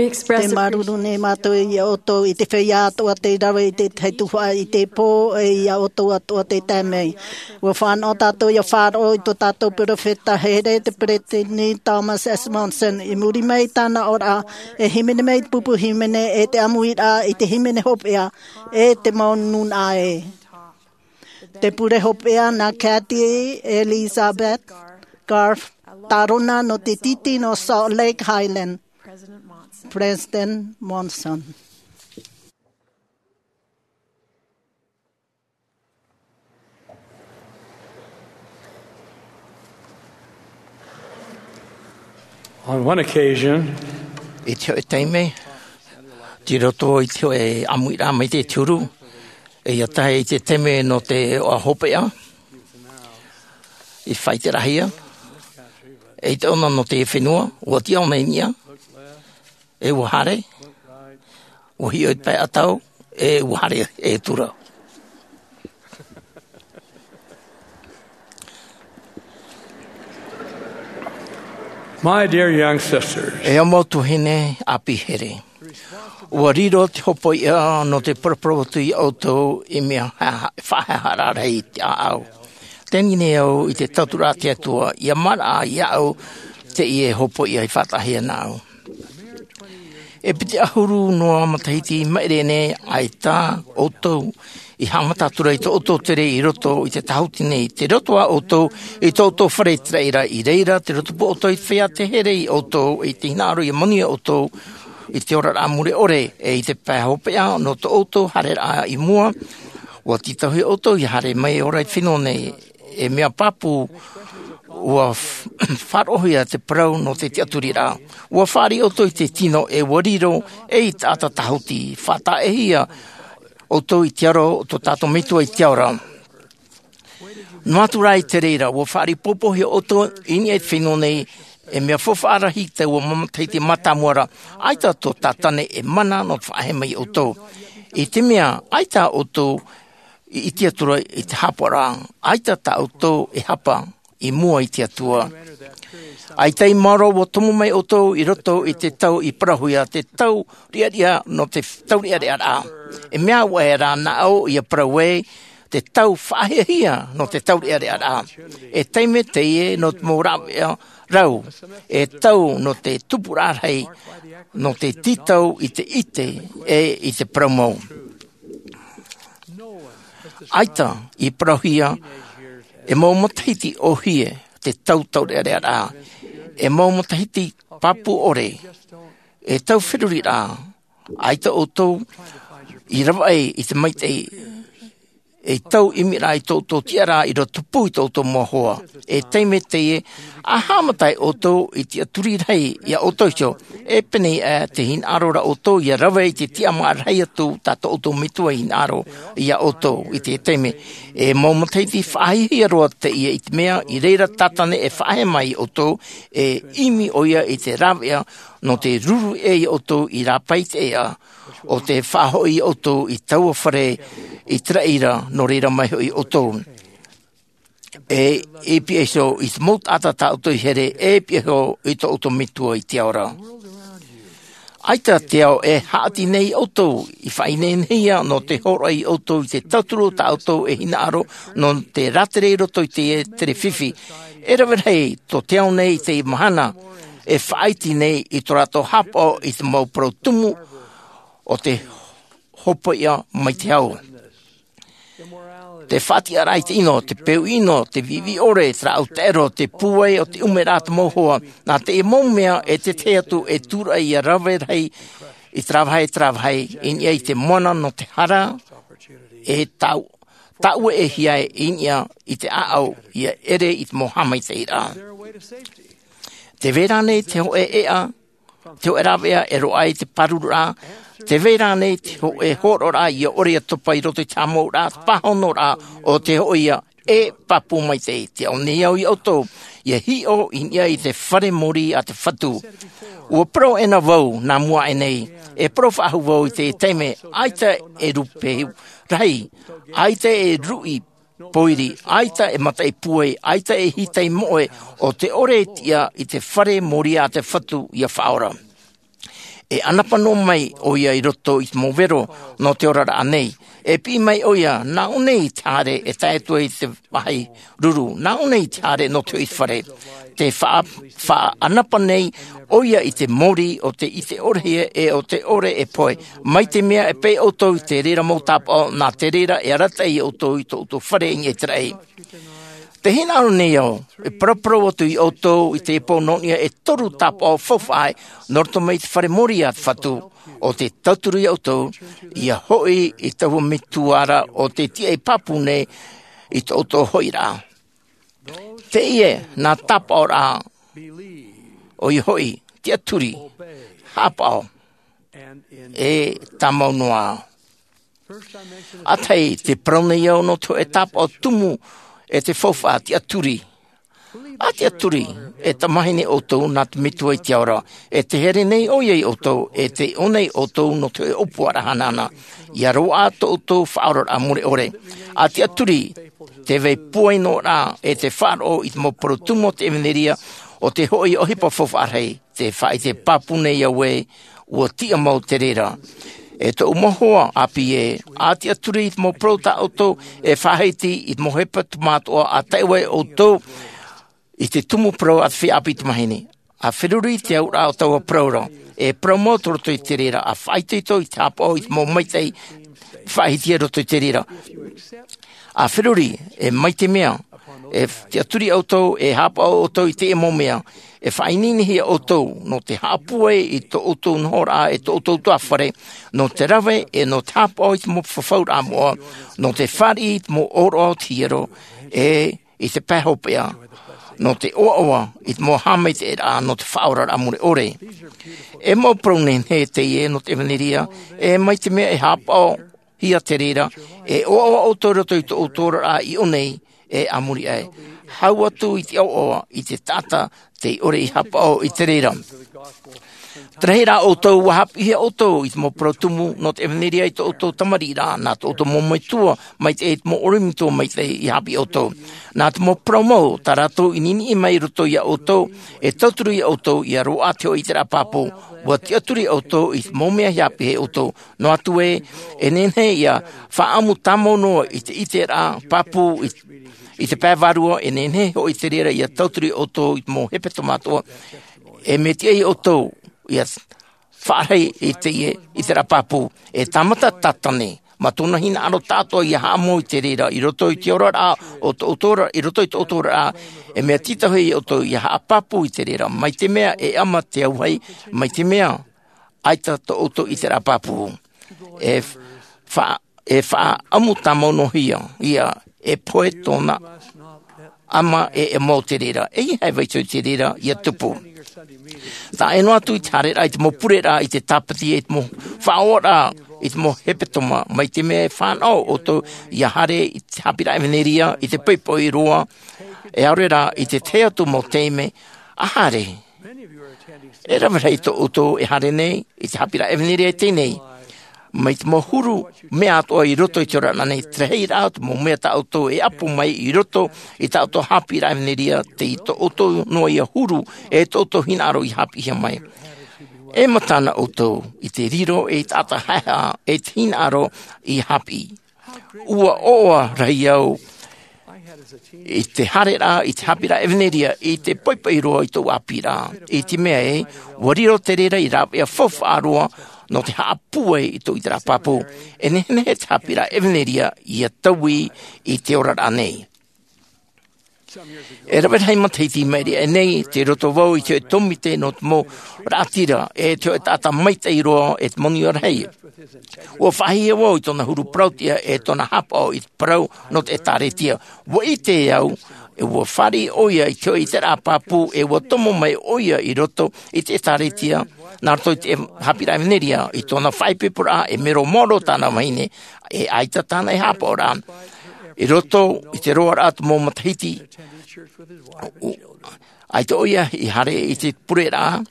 Te māuruuru nei mātou iā ʻoutou i te feiā atoʻa tei rave i te tahi tuhaʻa i te pō, ʻe iā ʻoutou atoʻa tei tae mai. Ua fānaʻo tātou ʻia faʻaroʻo i tō tātou peropheta here, te peresideni Thomas S. Monson, i muri mai i tāna oraraʻa, e hīmene mai te pupu hīmene ʻe te ʻāmuiraʻa i te hīmene hopeʻa ʻe te mau nūnaʻa ē. Te pure hopeʻa nā Kathy Elizabeth Garf, tārona nō te tītī nō Salt Lake Highland, President Monson. On one occasion, i te hoʻi taime, tei roto i te hoʻi ʻāmuiraʻa mai te huru, ʻe ʻia tae i te taime nō te ʻoaʻoa hopeʻa, i faʻaʻite rahi ā, ʻe i te ʻona nō te fenua, ʻua tiʻa ʻōna i niʻa, ʻe ʻua haere, ʻua hiʻo i te pae ʻatau, ʻe ʻua haere e tura. My dear young sisters, e ʻo mau tuahine ʻāpī here. ʻUa riro te hopoiʻa nō te paraparau atu iā ʻoutou i mea ha-, ha-, faʻahaʻehaʻa rahi i te ʻāʻau. Teie nei au i te tauturu a te Atua, ʻia maraʻa iāʻu teie hopoiʻa i faʻataʻahia nāʻu. E piti ʻahuru noa matahiti i maʻiri nei, ʻaita ʻoutou i haʻamata atu ra i tō ʻoutou tere i roto i te tāhuti nei, tei roto ā ʻoutou i tō ʻoutou fare i te raʻi ra, i reira te roto pū ʻoutou i te feiā tē here iā ʻoutou, i te hinaʻaro ʻia manuia ʻoutou i te oraraʻa mure ʻore, ʻe i te pae hopeʻa nō tō ʻoutou haereraʻa i mua, ʻua tītauhia ʻoutou ʻia haere mai ʻo ora i te fenua nei, e mea pāpū, ʻua f-, faʻaroʻohia te parau nō te tiʻaturiraʻa. ʻUa fāriʻi ʻoutou i te tino ʻe ʻua riro, ʻe i te taʻata tāhuti, faʻataʻahia ʻoutou i te aro o tō tātou Metua i te ao ra. Noa atu rā i te reira, ʻua fāriʻi pōpōhia ʻoutou i niʻa i te fenua nei, e mea faufaʻa rahi taua mau matahiti mātāmua ra, ʻaita tō Tātane e mana nō te faʻaʻehe mai iā ʻoutou. I te mea, ʻaita ʻoutou i ʻite atu ra i te haʻapaʻoraʻa, ʻaita tā ʻoutou e hapa i mua i te Atua. ʻAita i maoro ʻua tomo mai ʻoutou i roto i te tau i parauhia, te tau riʻariʻa nō te taureʻareʻaraʻa. E mea ʻoia rā nā ʻō ʻia parau ai, te tau faʻahiahia nō te taureʻareʻaraʻa. E taime teie nō te mau rāveʻa rau, e tau nō te tupuraʻa rahi, nō te tītau i te ʻite, ʻe i te parau mau. ʻAita i parauhia e mau matahiti ʻōhie te tau taureʻareʻaraʻa, e mau matahiti pāpū ʻore, e tau feruriraʻa, ʻaita ʻoutou i ravaʻi i te maitaʻi, e tau ʻimiraʻa i tō ʻoutou tiʻaraʻa i roto pū i tō ʻoutou mau hoa. E taime teie, ʻa haʻamata ai ʻoutou i te tiʻaturi rahi iā ʻoutou iho, e pēnei aʻe te hinaʻaro ra ʻoutou ʻia rave i te tiʻamāraʻa rahi atu tā tō ʻoutou Metua i hinaʻaro iā ʻoutou i te taime. E mau matahiti faʻahiahia roa teie i te mea, i reira Tātane e faʻaʻehe mai iā ʻoutou, e ʻimi ʻoia i te rāveʻa nō te ruru ʻē iā ʻoutou i rāpae i te ʻēʻa, ʻo tē faʻahoʻi iā ʻoutou i taua fare i te raʻi ra, nō reira mai hoʻi ʻoutou. E i pihaʻi iho i te mau taʻata tā ʻoutou i here, e i pihaʻi iho i tō ʻoutou Metua i te ao ra. ʻAita te ao e haʻati nei iā ʻoutou, i faʻaineinehia nō te hōroʻa iā ʻoutou i te tauturu tā ʻoutou e hinaʻaro nō te rātere i roto i te tere fifi. E rave rahi tō te ao nei i teie mahana, e faʻaiti nei i tō rātou haʻapaʻo i te mau parau tumu o te hopoiʻa mai te hau. Te faʻatiʻaraʻa i te ʻino, te peu ʻino, te viʻiviʻi ʻore, te rāʻau taʻero, te pūai o te ʻumeraʻa a te mau hoa, nā teie mau mea e tētahi atu e tūraʻi ʻia rave rahi i terā vāhi, terā vāhi, i niʻa i te moana nō te hara, e tāu-, tāʻue e hiaʻai i niʻa i te ʻāʻau ʻia ʻere i te mau haʻamaitaʻiraʻa. Tē vai ra ānei te hōʻē ʻēʻa, te hōʻē rāveʻa e roaʻa ai te pārururaʻa, tē vai ra ānei te hōʻē hōroʻaraʻa ʻia ʻore ʻia topa i roto i te haʻamouraʻa, te pāhonoraʻa o te hōʻē ʻē pāpū maitaʻi? Tē ao nei au iā ʻoutou, ʻia hiʻo i niʻa i te fare mōrī a te Fatu. ʻUa parau aʻena vau, nā mua aʻe nei, e parau faʻahou vau i te taime, ʻaita e rūpehu rahi, ʻaita e ruʻi pōiri, ʻaita e mataʻi pūai, ʻaita e hītai moʻe, ʻo tē ʻore e tiʻa i te fare mōrī a te Fatu ʻia faʻaora. E ʻanapa noa mai ʻoia i roto i te mau vero nō te oraraʻa nei. E piʻi mai ʻoia, nā ʻō nei i te haere e tae atu ai i te vāhi ruru, nā ʻō nei i te haere nō te hoʻi fare. Te faʻa-, faʻaʻanapa nei ʻoia i te mōrī o te ʻite ʻore hia e o te ʻore e pohe. Mai te mea e pē ʻoutou i te reira mau tāpaʻo, nā te reira e arataʻi ʻoutou i tō ʻoutou fare i niʻa i te raʻi. Te hinaʻaro nei au, e paraparau atu iā ʻoutou i te pō nō niʻa e toru tāpaʻo faufaʻa nō roto mai i te fare mōrī a te Fatu, ʻo tē tauturu iā ʻoutou, ʻia hoʻi i taua metua ra ʻo tē tiʻa pāpū nei i tō ʻoutou hoʻiraʻa. Teie nā tāpaʻoraʻa, ʻoia hoʻi, tiʻaturi, haʻapaʻo, e tāmau noa. ʻA tahi, tē parau nei au nō te hōʻē tāpaʻo tumu e te faufaʻa, tiʻaturi. ʻA tiʻaturi, e tamahine ʻoutou nā te Metua i te ao ra, e tē haere nei ʻoia iā ʻoutou, e tē ʻō nei ʻoutou nō te hōʻē ʻōpuaraʻa hanahana, ʻia roaʻa tō ʻoutou faʻaoraraʻa mure ʻore. ʻA tiʻaturi, te vai pūai noa ra, e te faʻaroʻo i te mau parau tumu o te ʻevanelia, ʻo tē hoʻi ʻohipa faufaʻa rahi. Tē faʻaʻite pāpū nei au ē, ʻua tiʻa mau te reira. E tōʻu mau hoa ʻāpī ē, ʻa tiʻaturi i te mau parau tā ʻoutou e faʻahiti i te mau hepetoma atoʻa, ʻa tae ai ʻoutou i te tumu parau a te feiā ʻāpī tamahine. ʻA feruri i te auraʻa o taua parau ra. E parau mau tō roto i te reira, ʻa faʻaitoito i te haʻapaʻo i te mau maitaʻi faʻahiahia roto i te reira. ʻA feruri, e mai te mea, e tiʻaturi ʻoutou, e haʻapaʻo ʻoutou i teie mau mea, e faʻaineinehia ʻoutou, nō te haʻapūai i tō ʻoutou nohoraʻa, e tō ʻoutou tuahine, nō te rave, e nō te haʻapaʻo i te mau fafauraʻa moʻa, nō te fāriʻi i te mau ʻōroʻa o te hiero, e i te pae hopeʻa, nō te ʻoaʻoa i te mau haʻamaitaʻiraʻa, nō te faʻaoraraʻa mure ʻore. E mau parau nehenehe teie nō te ʻevanelia, e mai te mea e haʻapaʻo, hia te reira, e ʻoaʻoa ʻoutou i roto i tō ʻoutou oraraʻa i ʻō nei, e a muri aʻe. Hau atu i te ʻoaʻoa i te taʻata tei ʻore i haʻapaʻo i te reira. Te rahi rā ʻoutou, ʻua haʻapiʻihia ʻoutou i te mau parau tumu nō te ʻevanelia i tō ʻoutou tamariʻi ra, nā tō ʻoutou mau metua maitaʻi, te mau ʻorometua maitaʻi i haʻapiʻi ʻoutou. Nā te mau parau mau tā rātou i niniʻi mai i roto iā ʻoutou, e tauturu iā ʻoutou ʻia roaʻa te hōʻē ʻiteraʻa pāpū. ʻUa tiʻaturi ʻoutou i te mau mea i haʻapiʻi iā ʻoutou. Noa atu ē, e nehenehe ʻia faʻaʻamu tāmau noa i te ʻiteraʻa pāpū i, i te pae vārua, e nehenehe hoʻi te reira ʻia tauturu ʻoutou i te mau hepetoma atoʻa. E mea tiʻa iā ʻoutou ʻia faʻarahi i teie ʻiteraʻa pāpū. E tāmata Tātane, mā tōna hinaʻaro tāʻatoʻa ʻia haʻamau i te reira, i roto i te oraraʻa o tō ʻoutou ra, i roto i tō ʻoutou oraraʻa, e mea tītauhia iā ʻoutou ʻia haʻapāpū i te reira, mai te mea e ʻama te auahi, mai te mea ʻaita tō ʻoutou ʻiteraʻa pāpū. E fa-, e faʻaʻamu tāmau noa hia, ʻia, e pohe tōna ʻama e, e mau te reira. E ʻeiaha e vaihoi te reira ʻia tupu. Taʻa ʻē noa atu i te haereraʻa i te mau pureraʻa, i te tāpati, i te mau faʻaʻoraʻa, i te mau hepetoma, mai te mea e fānaʻo ʻoutou ʻia haere i te haʻapiʻiraʻa ʻevanelia, i te poʻipoʻi roa, e ʻaore rā, i te tahi atu mau taime, ʻa haere. E rave rahi tō ʻoutou e haere nei i te haʻapiʻiraʻa ʻevanelia i teie nei. Mai te mau huru mea atoʻa i roto i te oraraʻa nei, te rahiraʻa o te mau mea tā ʻoutou e ʻapo mai i roto i tā ʻoutou haʻapiʻiraʻa ʻevanelia, tei tō ʻoutou noa ïa huru, e tō ʻoutou hinaʻaro i haʻapiʻihia mai. E mataʻu ʻoutou i te riro ei taʻata haʻehaʻa, e te hinaʻaro i haʻapiʻi. ʻUa ʻoaʻoa rahi au i te haereraʻa i te haʻapiʻiraʻa ʻevanelia, i te poʻipoʻi roa i tōʻu ʻāpīraʻa. I te mea ē, ʻua riro te reira ei rāveʻa faufaʻa roa nō te haʻapūai i tōʻu ʻiteraʻa pāpū. E nehenehe te haʻapiʻiraʻa ʻevanelia ʻia taui i te oraraʻa nei. E rave rahi matahiti i maʻiri aʻe nei, tei roto vau i te hōʻē tōmite nō te mau raʻatira, e te hōʻē taʻata maitaʻi roa, e te mau niʻa rahi. ʻUa faʻahiahia vau i tōna huru parauʻtiʻa, e tōna haʻapaʻo i te parau nō te ʻĒtārētia. ʻUa ʻite au, e ʻua fāriʻi ʻoia i te hōʻē ʻiteraʻa pāpū, e ʻua tomo mai ʻoia i roto i te ʻĒtārētia, nā roto i te haʻapiʻiraʻa ʻevanelia, i tōna faʻaipoiporaʻa, e mero maoro tāna vahine, e ʻaita tāna e haʻapaʻoraʻa. I roto i te roaraʻa o te mau matahiti, ʻaita ʻoia i haere i te pureraʻa,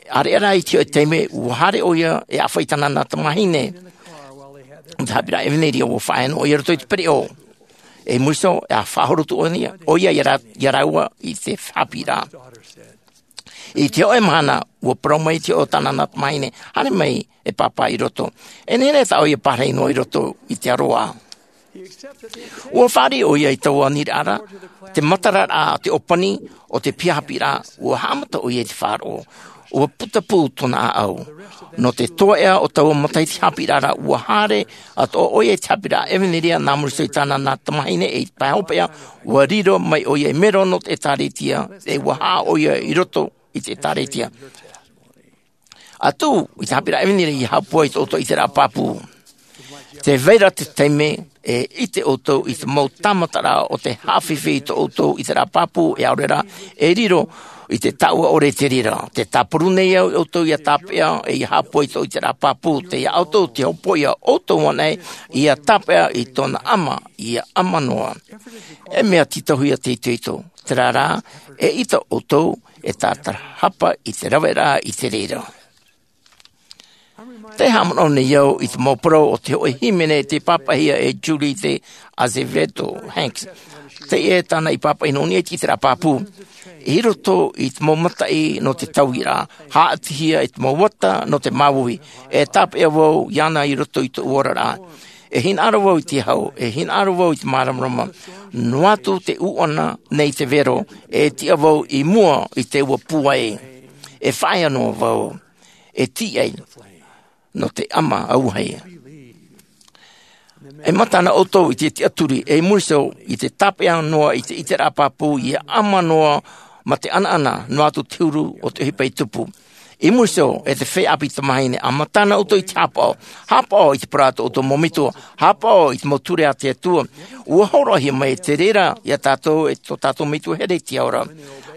ʻareʻa rā i te hōʻē taime, ʻua haere ʻoia e ʻāfaʻi tāna nā tamahine, i te haʻapiʻiraʻa ʻevanelia, ʻua faʻaea noa ʻoia i roto i te pereʻoʻo. E muri iho, e faʻahoro atu ʻoia, ʻoia ia rā-, ia rāua i te haʻapiʻiraʻa. I te hoʻe mahana, ua parau mai te hoʻe o tāna tamahine, haere mai e pāpā i roto. E nehenehe tā ʻoia e pārahi noa i roto i te aroā. Ua fāriʻi ʻoia i taua aniraʻa, te mataraʻa, te ʻōpani o te piha haʻapiʻiraʻa, ua haʻamata ʻoia i te faʻaroʻo. Ua putapū tōna ʻāʻau. Nō te toeʻa o taua matahiti haʻapiʻiraʻa, ua haere atoʻa ʻoia i te haʻapiʻiraʻa ʻEvaneria nā muri iho i tāna nā tamahine e i te pae hopeʻa, ua riro mai ʻoia i mero nō te ʻĒtārētia, e ua haʻa ʻoia i roto i te ʻĒtārētia. Atu i te haʻapiʻiraʻa ʻEvaneria, ʻia haʻapūai tō ʻoutou ʻiteraʻa pāpū. Tē vai ra te taime e ʻite ʻoutou i te mau tāmataraʻa o te haʻafifi i tō ʻoutou ʻiteraʻa pāpū, e ʻaore rā, e riro i te taʻua ʻore te reira. Tē tāparu nei au ʻoutou ʻia tāpeʻa, e ʻia haʻapūai tō ʻoutou ʻiteraʻa pāpū, tei iā ʻoutou te hopoiʻa ʻoutou anaʻe, ʻia tāpeʻa i tōna ʻama, ʻia ʻama noa. E mea tītauhia te itoito, terā rā, e ʻite ʻoutou, e tātarahapa i te raveraʻa i te reira. Tē haʻamanaʻo nei au i te mau parau o te hoʻe hīmene tei pāpaʻihia e Julieta Azevedo Hanks. Teie tāna i pāpaʻi nō niʻa i te ʻiteraʻa pāpū. I roto i te mau mataʻi nō te tauiraʻa, haʻatihia i te mau ata nō te māuiui, e tāpeʻa vau iāna i roto i tōʻu oraraʻa. E hinaʻaro vau i te hau, e hinaʻaro vau i te māramarama. Noa atu te ʻūʻana nei te vero, e tiʻa vau i mua i te ua pūai. E faʻaea noa vau. E tīaʻi nō te ʻama auahi. E mata na ʻoutou i te tiʻaturi, e i muri iho i te tāpeʻa noa i te ʻiteraʻa pāpū, ʻia ʻama noa mā te ʻanaʻana, noa atu te huru o te ʻohipa i tupu. I muri iho, e te feiā ʻāpī tamahine, ʻa mata na ʻoutou i te haʻapaʻo. Haʻapaʻo i te parau a tō ʻoutou mau metua. Haʻapaʻo i te mau ture a te Atua. Ua hōroʻahia mai te reira iā tātou e tō tātou Metua here i te ao ra.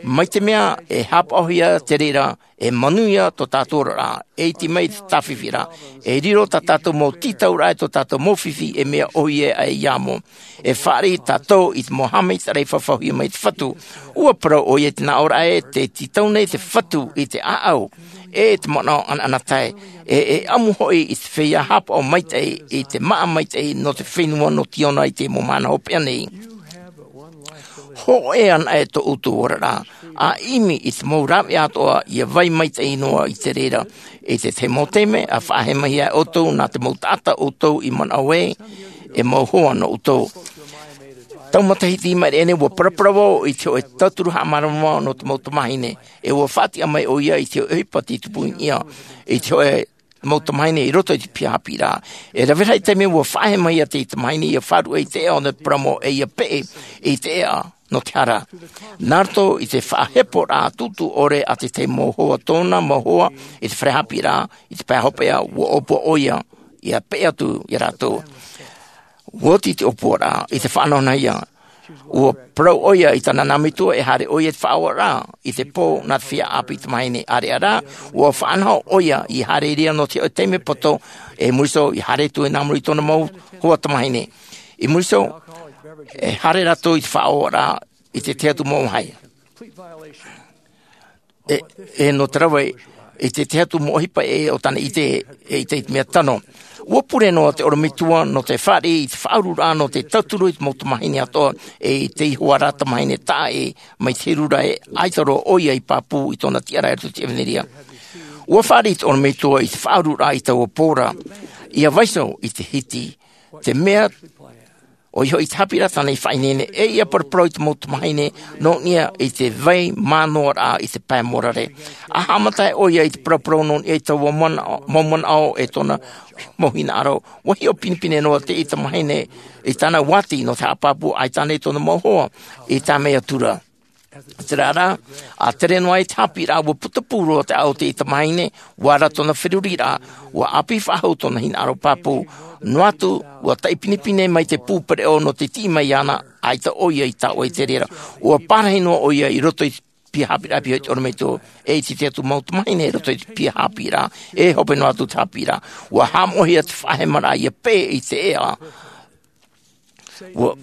Mai te mea e haʻapaʻohia te reira, e manuia tō tātou oraraʻa, e iti mai te tāfifiraʻa, e riro tā tātou mau tītauraʻa e tō tātou mau fifi, e mea ʻōhie aʻe iā ʻō. E fāriʻi tātou i te mau haʻamaitaʻiraʻa i fafauhia mai te Fatu. Ua parau ʻoia i te nāʻōraʻa ē, tē tītau nei te Fatu i te ʻāʻau, e te manaʻo ʻanaʻanatae, e, e ʻamu hoʻi i te feiā haʻapaʻo maitaʻi, i te māʻa maitaʻi nō te fenua nō Tiona i te mau mahana hopeʻa nei. Hōʻē anaʻe tō ʻoutou oraraʻa, ʻa ʻimi i te mau rāveʻa atoʻa ʻia vai maitaʻi noa i te reira. I te tahi mau taime, ʻa faʻahemahia ʻoutou nā te mau taʻata ʻoutou i manaʻo ē, e mau hoa nō ʻoutou. Tau matahiti i maʻiri aʻe nei, ua paraparau vau i te hoʻe tauturu haʻamāramarama nō te mau tamāhine, e ua faʻatiʻa mai ʻoia i te hoʻe ʻohipa tei tupu i niʻa, i te hoʻe mau tamāhine i roto i te piha haʻapiʻiraʻa. E rave rahi taime ua faʻahemahia te tamāhine ʻia faʻaruʻe i te ʻēʻa o te paramo, e ʻia peʻe i te ʻēʻa nō te hara. Nā roto i te faʻaheporaʻa tūtū ʻore a te tahi mau hoa, tōna mau hoa, i te fare haʻapiʻiraʻa, i te pae hopeʻa, ua ʻōpua ʻoia ʻia peʻe atu iā rātou. Ua oti te ʻōpuaraʻa, i te faʻanahonahohia, ua parau ʻoia i tāna nā metua e haere ʻoia i te faʻaoraraʻa i te pō nā te feiā ʻāpī tamāhine. ʻĀreʻa rā, ua faʻanaho ʻoia ʻia haere i reira nō te hoʻe taime poto, e i muri iho, ʻia haere atu nā muri i tōna mau hoa tamāhine. I muri iho, e haere rātou i te faʻaoraraʻa i te tahi atu mau vāhi. E, e nō te rave i te tahi atu mau ʻohipa ʻē o tāna ʻite, e ʻite i te mea tano. Ua pure noa te ʻorometua nō te fāriʻi i te faʻaururaʻa nō te tauturu i te mau tamāhine atoʻa, e i te ihoā rā tamāhine taʻa ʻē mai te heru ra, e ʻaita roa ʻoia i pāpū i tōna tiʻaraʻa i roto i te ʻEvaneria. Ua fāriʻi te ʻorometua i te faʻaururaʻa i taua pō ra, ʻia vaiiho i te hiti, te mea ʻoia hoʻi te haʻapiʻiraʻa tāna i faʻaineine, e ʻia paraparau i te mau tamāhine nō niʻa i te vai mānoaraʻa i te pae morare. ʻA haʻamata ʻoia i te paraparau nō niʻa i taua mana-, mau manaʻo e tōna mau hinaʻaro, ua hiʻo pinepine noa teie tamāhine i tāna uāti nō te haʻapāpū, ʻaita ānei tōna mau hoa i tae mai atu ra. Terā rā, ʻa tere noa ai te haʻapiʻiraʻa, ua putapū roa te ʻāʻau o teie tamāhine, ua ara tōna feruriraʻa, ua ʻāpī faʻahou tōna hinaʻaro pāpū, noa atu, ua taʻi pinepine mai te pū pereʻoʻo nō te tiʻi mai iāna, ʻaita ʻoia i taoʻa i te reira. Ua pārahi noa ʻoia i roto i te piha haʻapiʻiraʻa, pīhaʻi i te ʻorometua, e i te tahi atu mau tamāhine i roto i te piha haʻapiʻiraʻa, e hope noa atu te haʻapiʻiraʻa. Ua haʻamoʻahia te faʻahemaraʻa ʻia peʻe i te ʻēʻa. Ua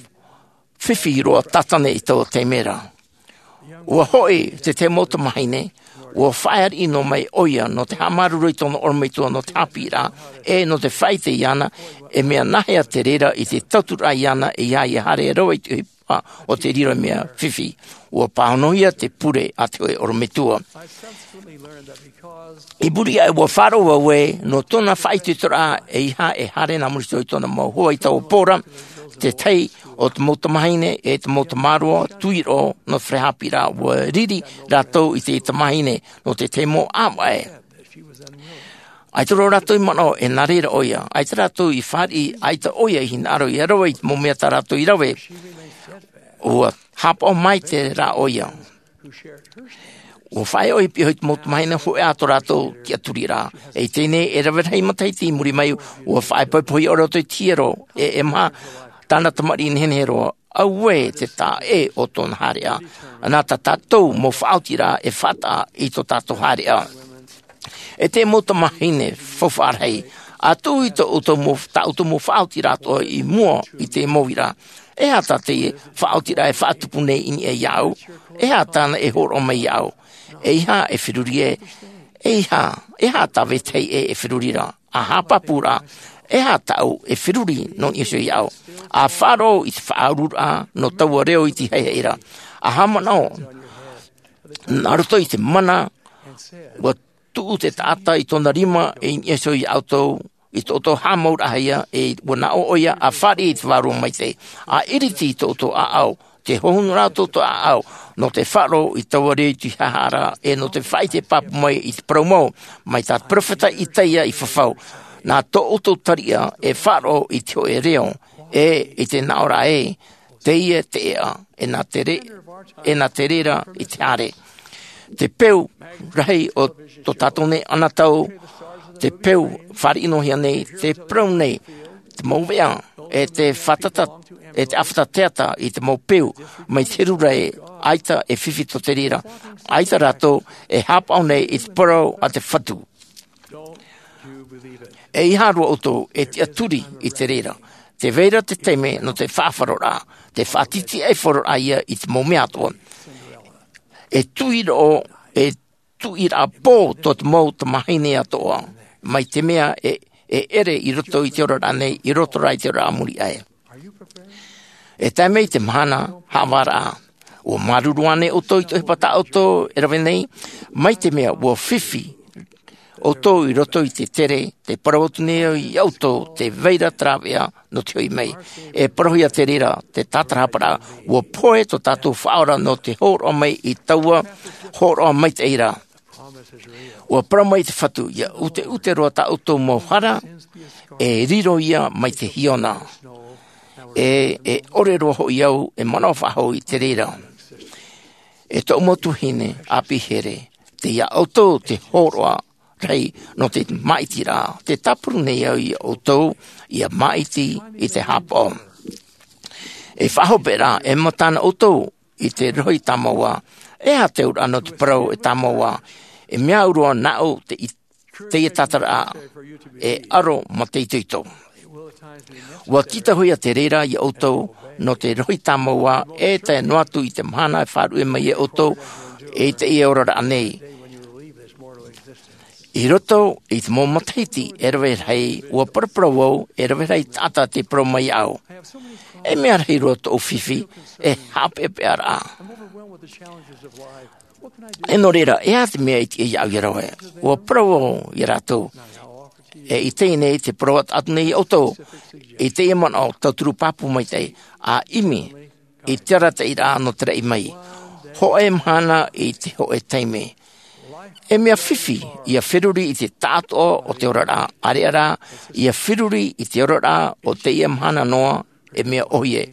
fifi roa Tātane i taua taime ra. Ua hoʻi te tahi mau tamāhine, ua faʻaariʻi noa mai ʻoia nō te haʻamāuruuru i tōna ʻorometua nō te haʻapiʻiraʻa, e nō te faʻaʻite iāna, e mea nāhea te reira i te tauturu iāna, e ʻia haere roa i te ʻohi-, ʻohipa o te riro mea fifi. Ua pāhonohia te pure a te hōʻē ʻorometua. I muri aʻe, ua faʻaroʻo au ē nō tōna faʻaitoitoraʻa, ʻeiaha e haere nā muri iho i tōna mau hoa i taua pō ra, te tahi o te mau tamāhine e te mau tamāroa tuiroʻo nō te fare haʻapiʻiraʻa. Ua riri rātou i te tamāhine nō te tahi mau ʻāvaʻe. ʻAita roa rātou i manaʻo e nā reira ʻoia, ʻaita rātou i fāriʻi, ʻaita ʻoia i hinaʻaro ia rave i te mau mea tā rātou i rave. Ua hāpaʻo maitaʻi rā ʻoia. Ua faʻaea ʻoia i te mau tamāhine hōʻē ā tō rātou tiʻaturiraʻa. E i teie nei, e rave rahi matahiti i muri mai, ua faʻaipoipohia ʻoia i te hiero, e, e maha tāna tamariʻi nehenehe roa. Auē te taʻa ʻē o tōna haereʻa. Nā tā tātou mau faʻaotiraʻa e faʻataʻa i tō tātou haereʻa. E te mau tamāhine faufaʻa rahi, a tuʻu i tō ʻoutou mau, tā ʻoutou mau faʻaotiraʻa atoʻa i mua i te mau uira. E aha tā te faʻaotiraʻa e faʻatupu nei i niʻa iāʻu? E aha tāna e hōroʻa mai iāʻu? ʻEiaha e feruri ē, ʻeiaha, e aha tā vetahi ʻē e feruri ra? A haʻapāpū ra, e aha tāʻu e feruri nō niʻa iho iāʻu? A faʻaroʻo i te faʻaururaʻa nō taua reo i te haʻehaʻa ra. A haʻamanaʻo, nā roto i te mana, ua tuʻu te taʻata i tōna rima i niʻa iho iā ʻoutou, i tō ʻoutou haʻamauraʻahia, e ua nā ʻō ʻoia, a fāriʻi i te Vārua Maitaʻi. A ʻiriti i tō ʻoutou ʻāʻau, te hohonu ra tō ʻoutou ʻāʻau, nō te faʻaroʻo i taua reo i te haʻehaʻa ra, e nō te faʻaʻite pāpū mai i te parau mau, mai tā te peropheta Isaia i fafau. Nā tō ʻoutou tariʻa e faʻaroʻo i te hōʻē reo, e i te naʻo ra ē, teie te ʻēʻa, e nā te re-, e nā te reira i te haere. Te peu rahi o tō tātou nei anotau, te peu fāriʻi noa hia nei, te parau nei, te mau veʻa, e te fātata, e te ʻāfata teata i te mau peu, mai te heru ra ē, ʻaita e fifi tō te reira, ʻaita rātou e hāpaʻo nei i te parau a te Fatu. ʻEiaha roa ʻoutou e tiʻaturi i te reira. Tē vai ra te taime nō te faʻafaroraʻa, te faʻatītīʻaifaro ia i te mau mea atoʻa. E tuiroʻo, e tuiraʻa pō tō te mau tamāhine atoʻa, mai te mea e, e ʻere i roto i te oraraʻa nei, i roto rā i te oraraʻa a muri aʻe. E tae mai te mahana haʻavāraʻa, ʻua māuruuru ānei ʻoutou i te ʻohipa tā ʻoutou e rave nei, mai te mea ʻua fifi ʻoutou i roto i te tere, tē parau atu nei au iā ʻoutou, tē vai ra te rāveʻa nō te hoʻi mai. E parauhia te reira, te tātarahapa ra, ʻua pohe tō tātou Faʻaora nō te hōroʻa mai i taua hōroʻa maitaʻi ra. ʻUa parau mai te Fatu, ʻia ʻuteʻute roa tā ʻoutou mau hara, e riro ia mai te hiona. E, e ʻore roa hoʻi au e manaʻo faʻahou i te reira. E tōʻu mau tuahine ʻāpī here, tei iā ʻoutou te hōroʻa rahi nō te māʻitiraʻa, tē tāparu nei au iā ʻoutou, ʻia māʻiti i te hāpaʻo. E faʻahope ra, e mataʻu ʻoutou i te rohi tāmau ā, e aha te auraʻa nō te parau e tāmau ā, e mea au roa nāʻu te i-, teie tātaraʻa, e aro mā te itoito. ʻUa tītauhia te reira iā ʻoutou, nō te rohi tāmau ā, e tae noa atu i te mahana e faʻaruʻe mai ai ʻoutou, i teie oraraʻa nei. I roto i te mau matahiti e rave rahi, ʻua paraparau au, e rave rahi taʻata tei parau mai iāʻu. E mea rahi roa tōʻu fifi, e haʻapeʻapeʻa ra. E nō reira, e aha te mea i tiʻa iāʻu ʻia rave? ʻUa parau au iā rātou. E i teie nei te parau atu nei iā ʻoutou. I teie manaʻo tauturu pāpū maitaʻi, ʻa ʻimi i te arataʻiraʻa nō te raʻi mai. Hōʻē mahana i te hōʻē taime. E mea fifi, ʻia feruri i te taʻatoʻa o te oraraʻa, ʻāreʻa rā, ʻia feruri i te oraraʻa o teie mahana noa, e mea ʻōhie.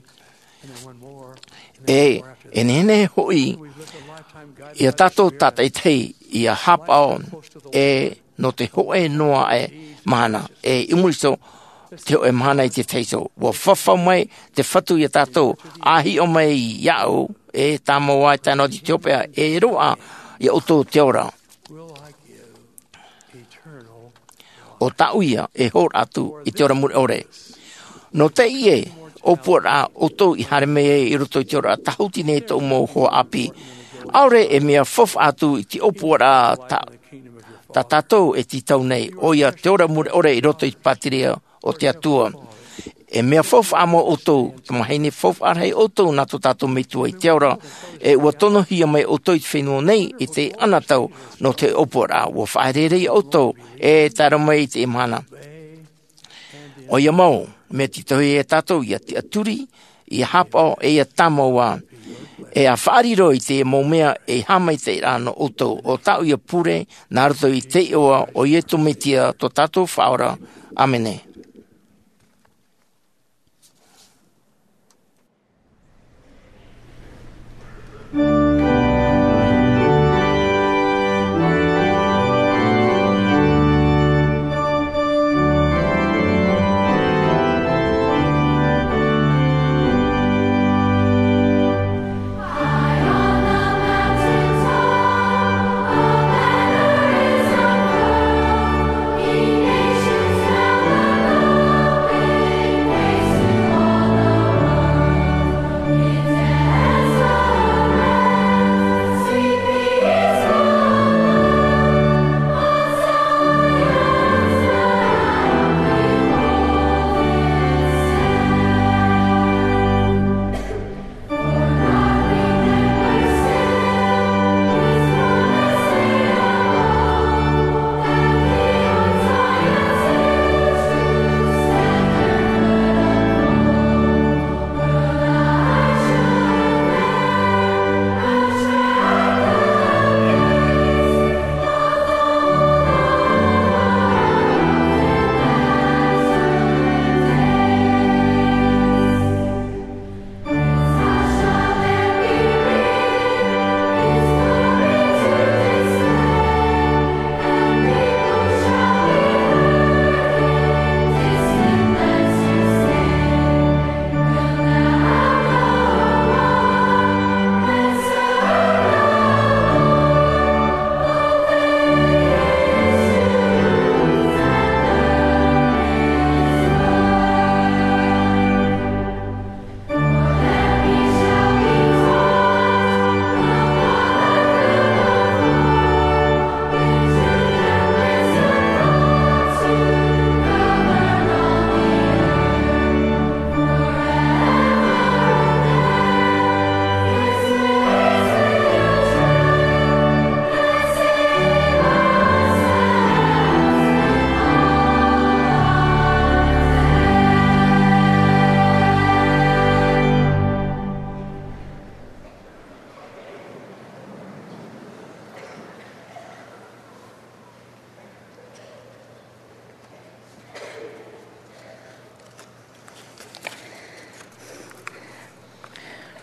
E, e nehenehe hoʻi, iā tātou tātaʻitahi, ʻia hāpaʻo, e nō te hōʻē noa aʻe mahana, e i muri iho, te hōʻē mahana i te tahi iho. ʻUa fafau mai te Fatu iā tātou, ʻa hiʻo mai iāʻu, e tāmau ā e tae noa atu i te hopeʻa, e roaʻa iā ʻoutou te ora. ʻO tāʻu ia e hōroʻa atu i te ora mure ʻore. Nō teie ʻōpuaraʻa ʻoutou i haere mai ai i roto i te oraraʻa tāhuti nei tōʻu mau hoa ʻāpī. ʻAore e mea faufaʻa atu i te ʻōpuaraʻa tā, tā tātou e tītau nei, ʻoia te ora mure ʻore i roto i te pātireia o te Atua. E mea faufaʻa mau ʻoutou, tamahine faufaʻa rahi ʻoutou nā tō tātou Metua i te ao ra, e ʻua tonohia mai ʻoutou i te fenua nei i te anotau nō te ʻōpuaraʻa. ʻUa faʻaereere ia ʻoutou e tae roa mai i te mahana. ʻOia mau, mea tītauhia e tātou ʻia tiʻaturi, ʻia haʻapaʻo, e ʻia tāmau ā, e ʻia faʻariro i te mau mea e haʻamaitaʻiraʻa nō ʻoutou, ʻo tāʻu ïa pure, nā roto i te iʻoa o Iesu Mesia tō tātou Faʻaora. ʻĀmene.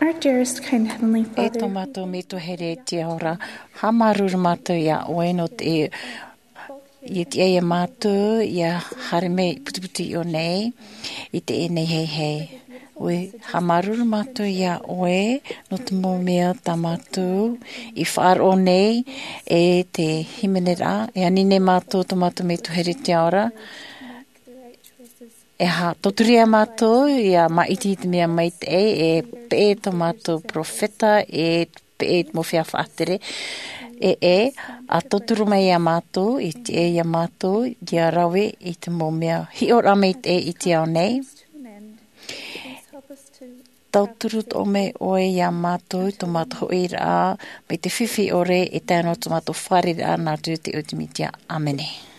Our dearest, kind Heavenly Father, e tō mātou Metua here i te ao ra, haʻamāuruuru mātou iā ʻoe nō te ʻia tiʻa iā mātou ʻia haere mai i te putuputū nei i teie nei hei. ʻOia, haʻamāuruuru mātou iā ʻoe nō te mau mea tā mātou i faʻaroʻo nei, e te hīmeneraʻa e ani nei mātou tō mātou Metua here i te ao ra. E haʻatauturu iā mātou ʻia māʻiti i te mea maitaʻi, e peʻe tō mātou peropheta, e peʻe i te mau feiā faʻatere. E e a tauturu mai iā mātou, ʻia tiʻa iā mātou ʻia rave i te mau mea hiʻoraʻa maitaʻi i te ao nei. Tauturu toʻo mai ʻoe iā mātou i tō mātou hoʻiraʻa mai te fifi ʻore, e tae noa tō mātou fārereiraʻa nā roto i te iʻoa o te Mesia. ʻĀmene.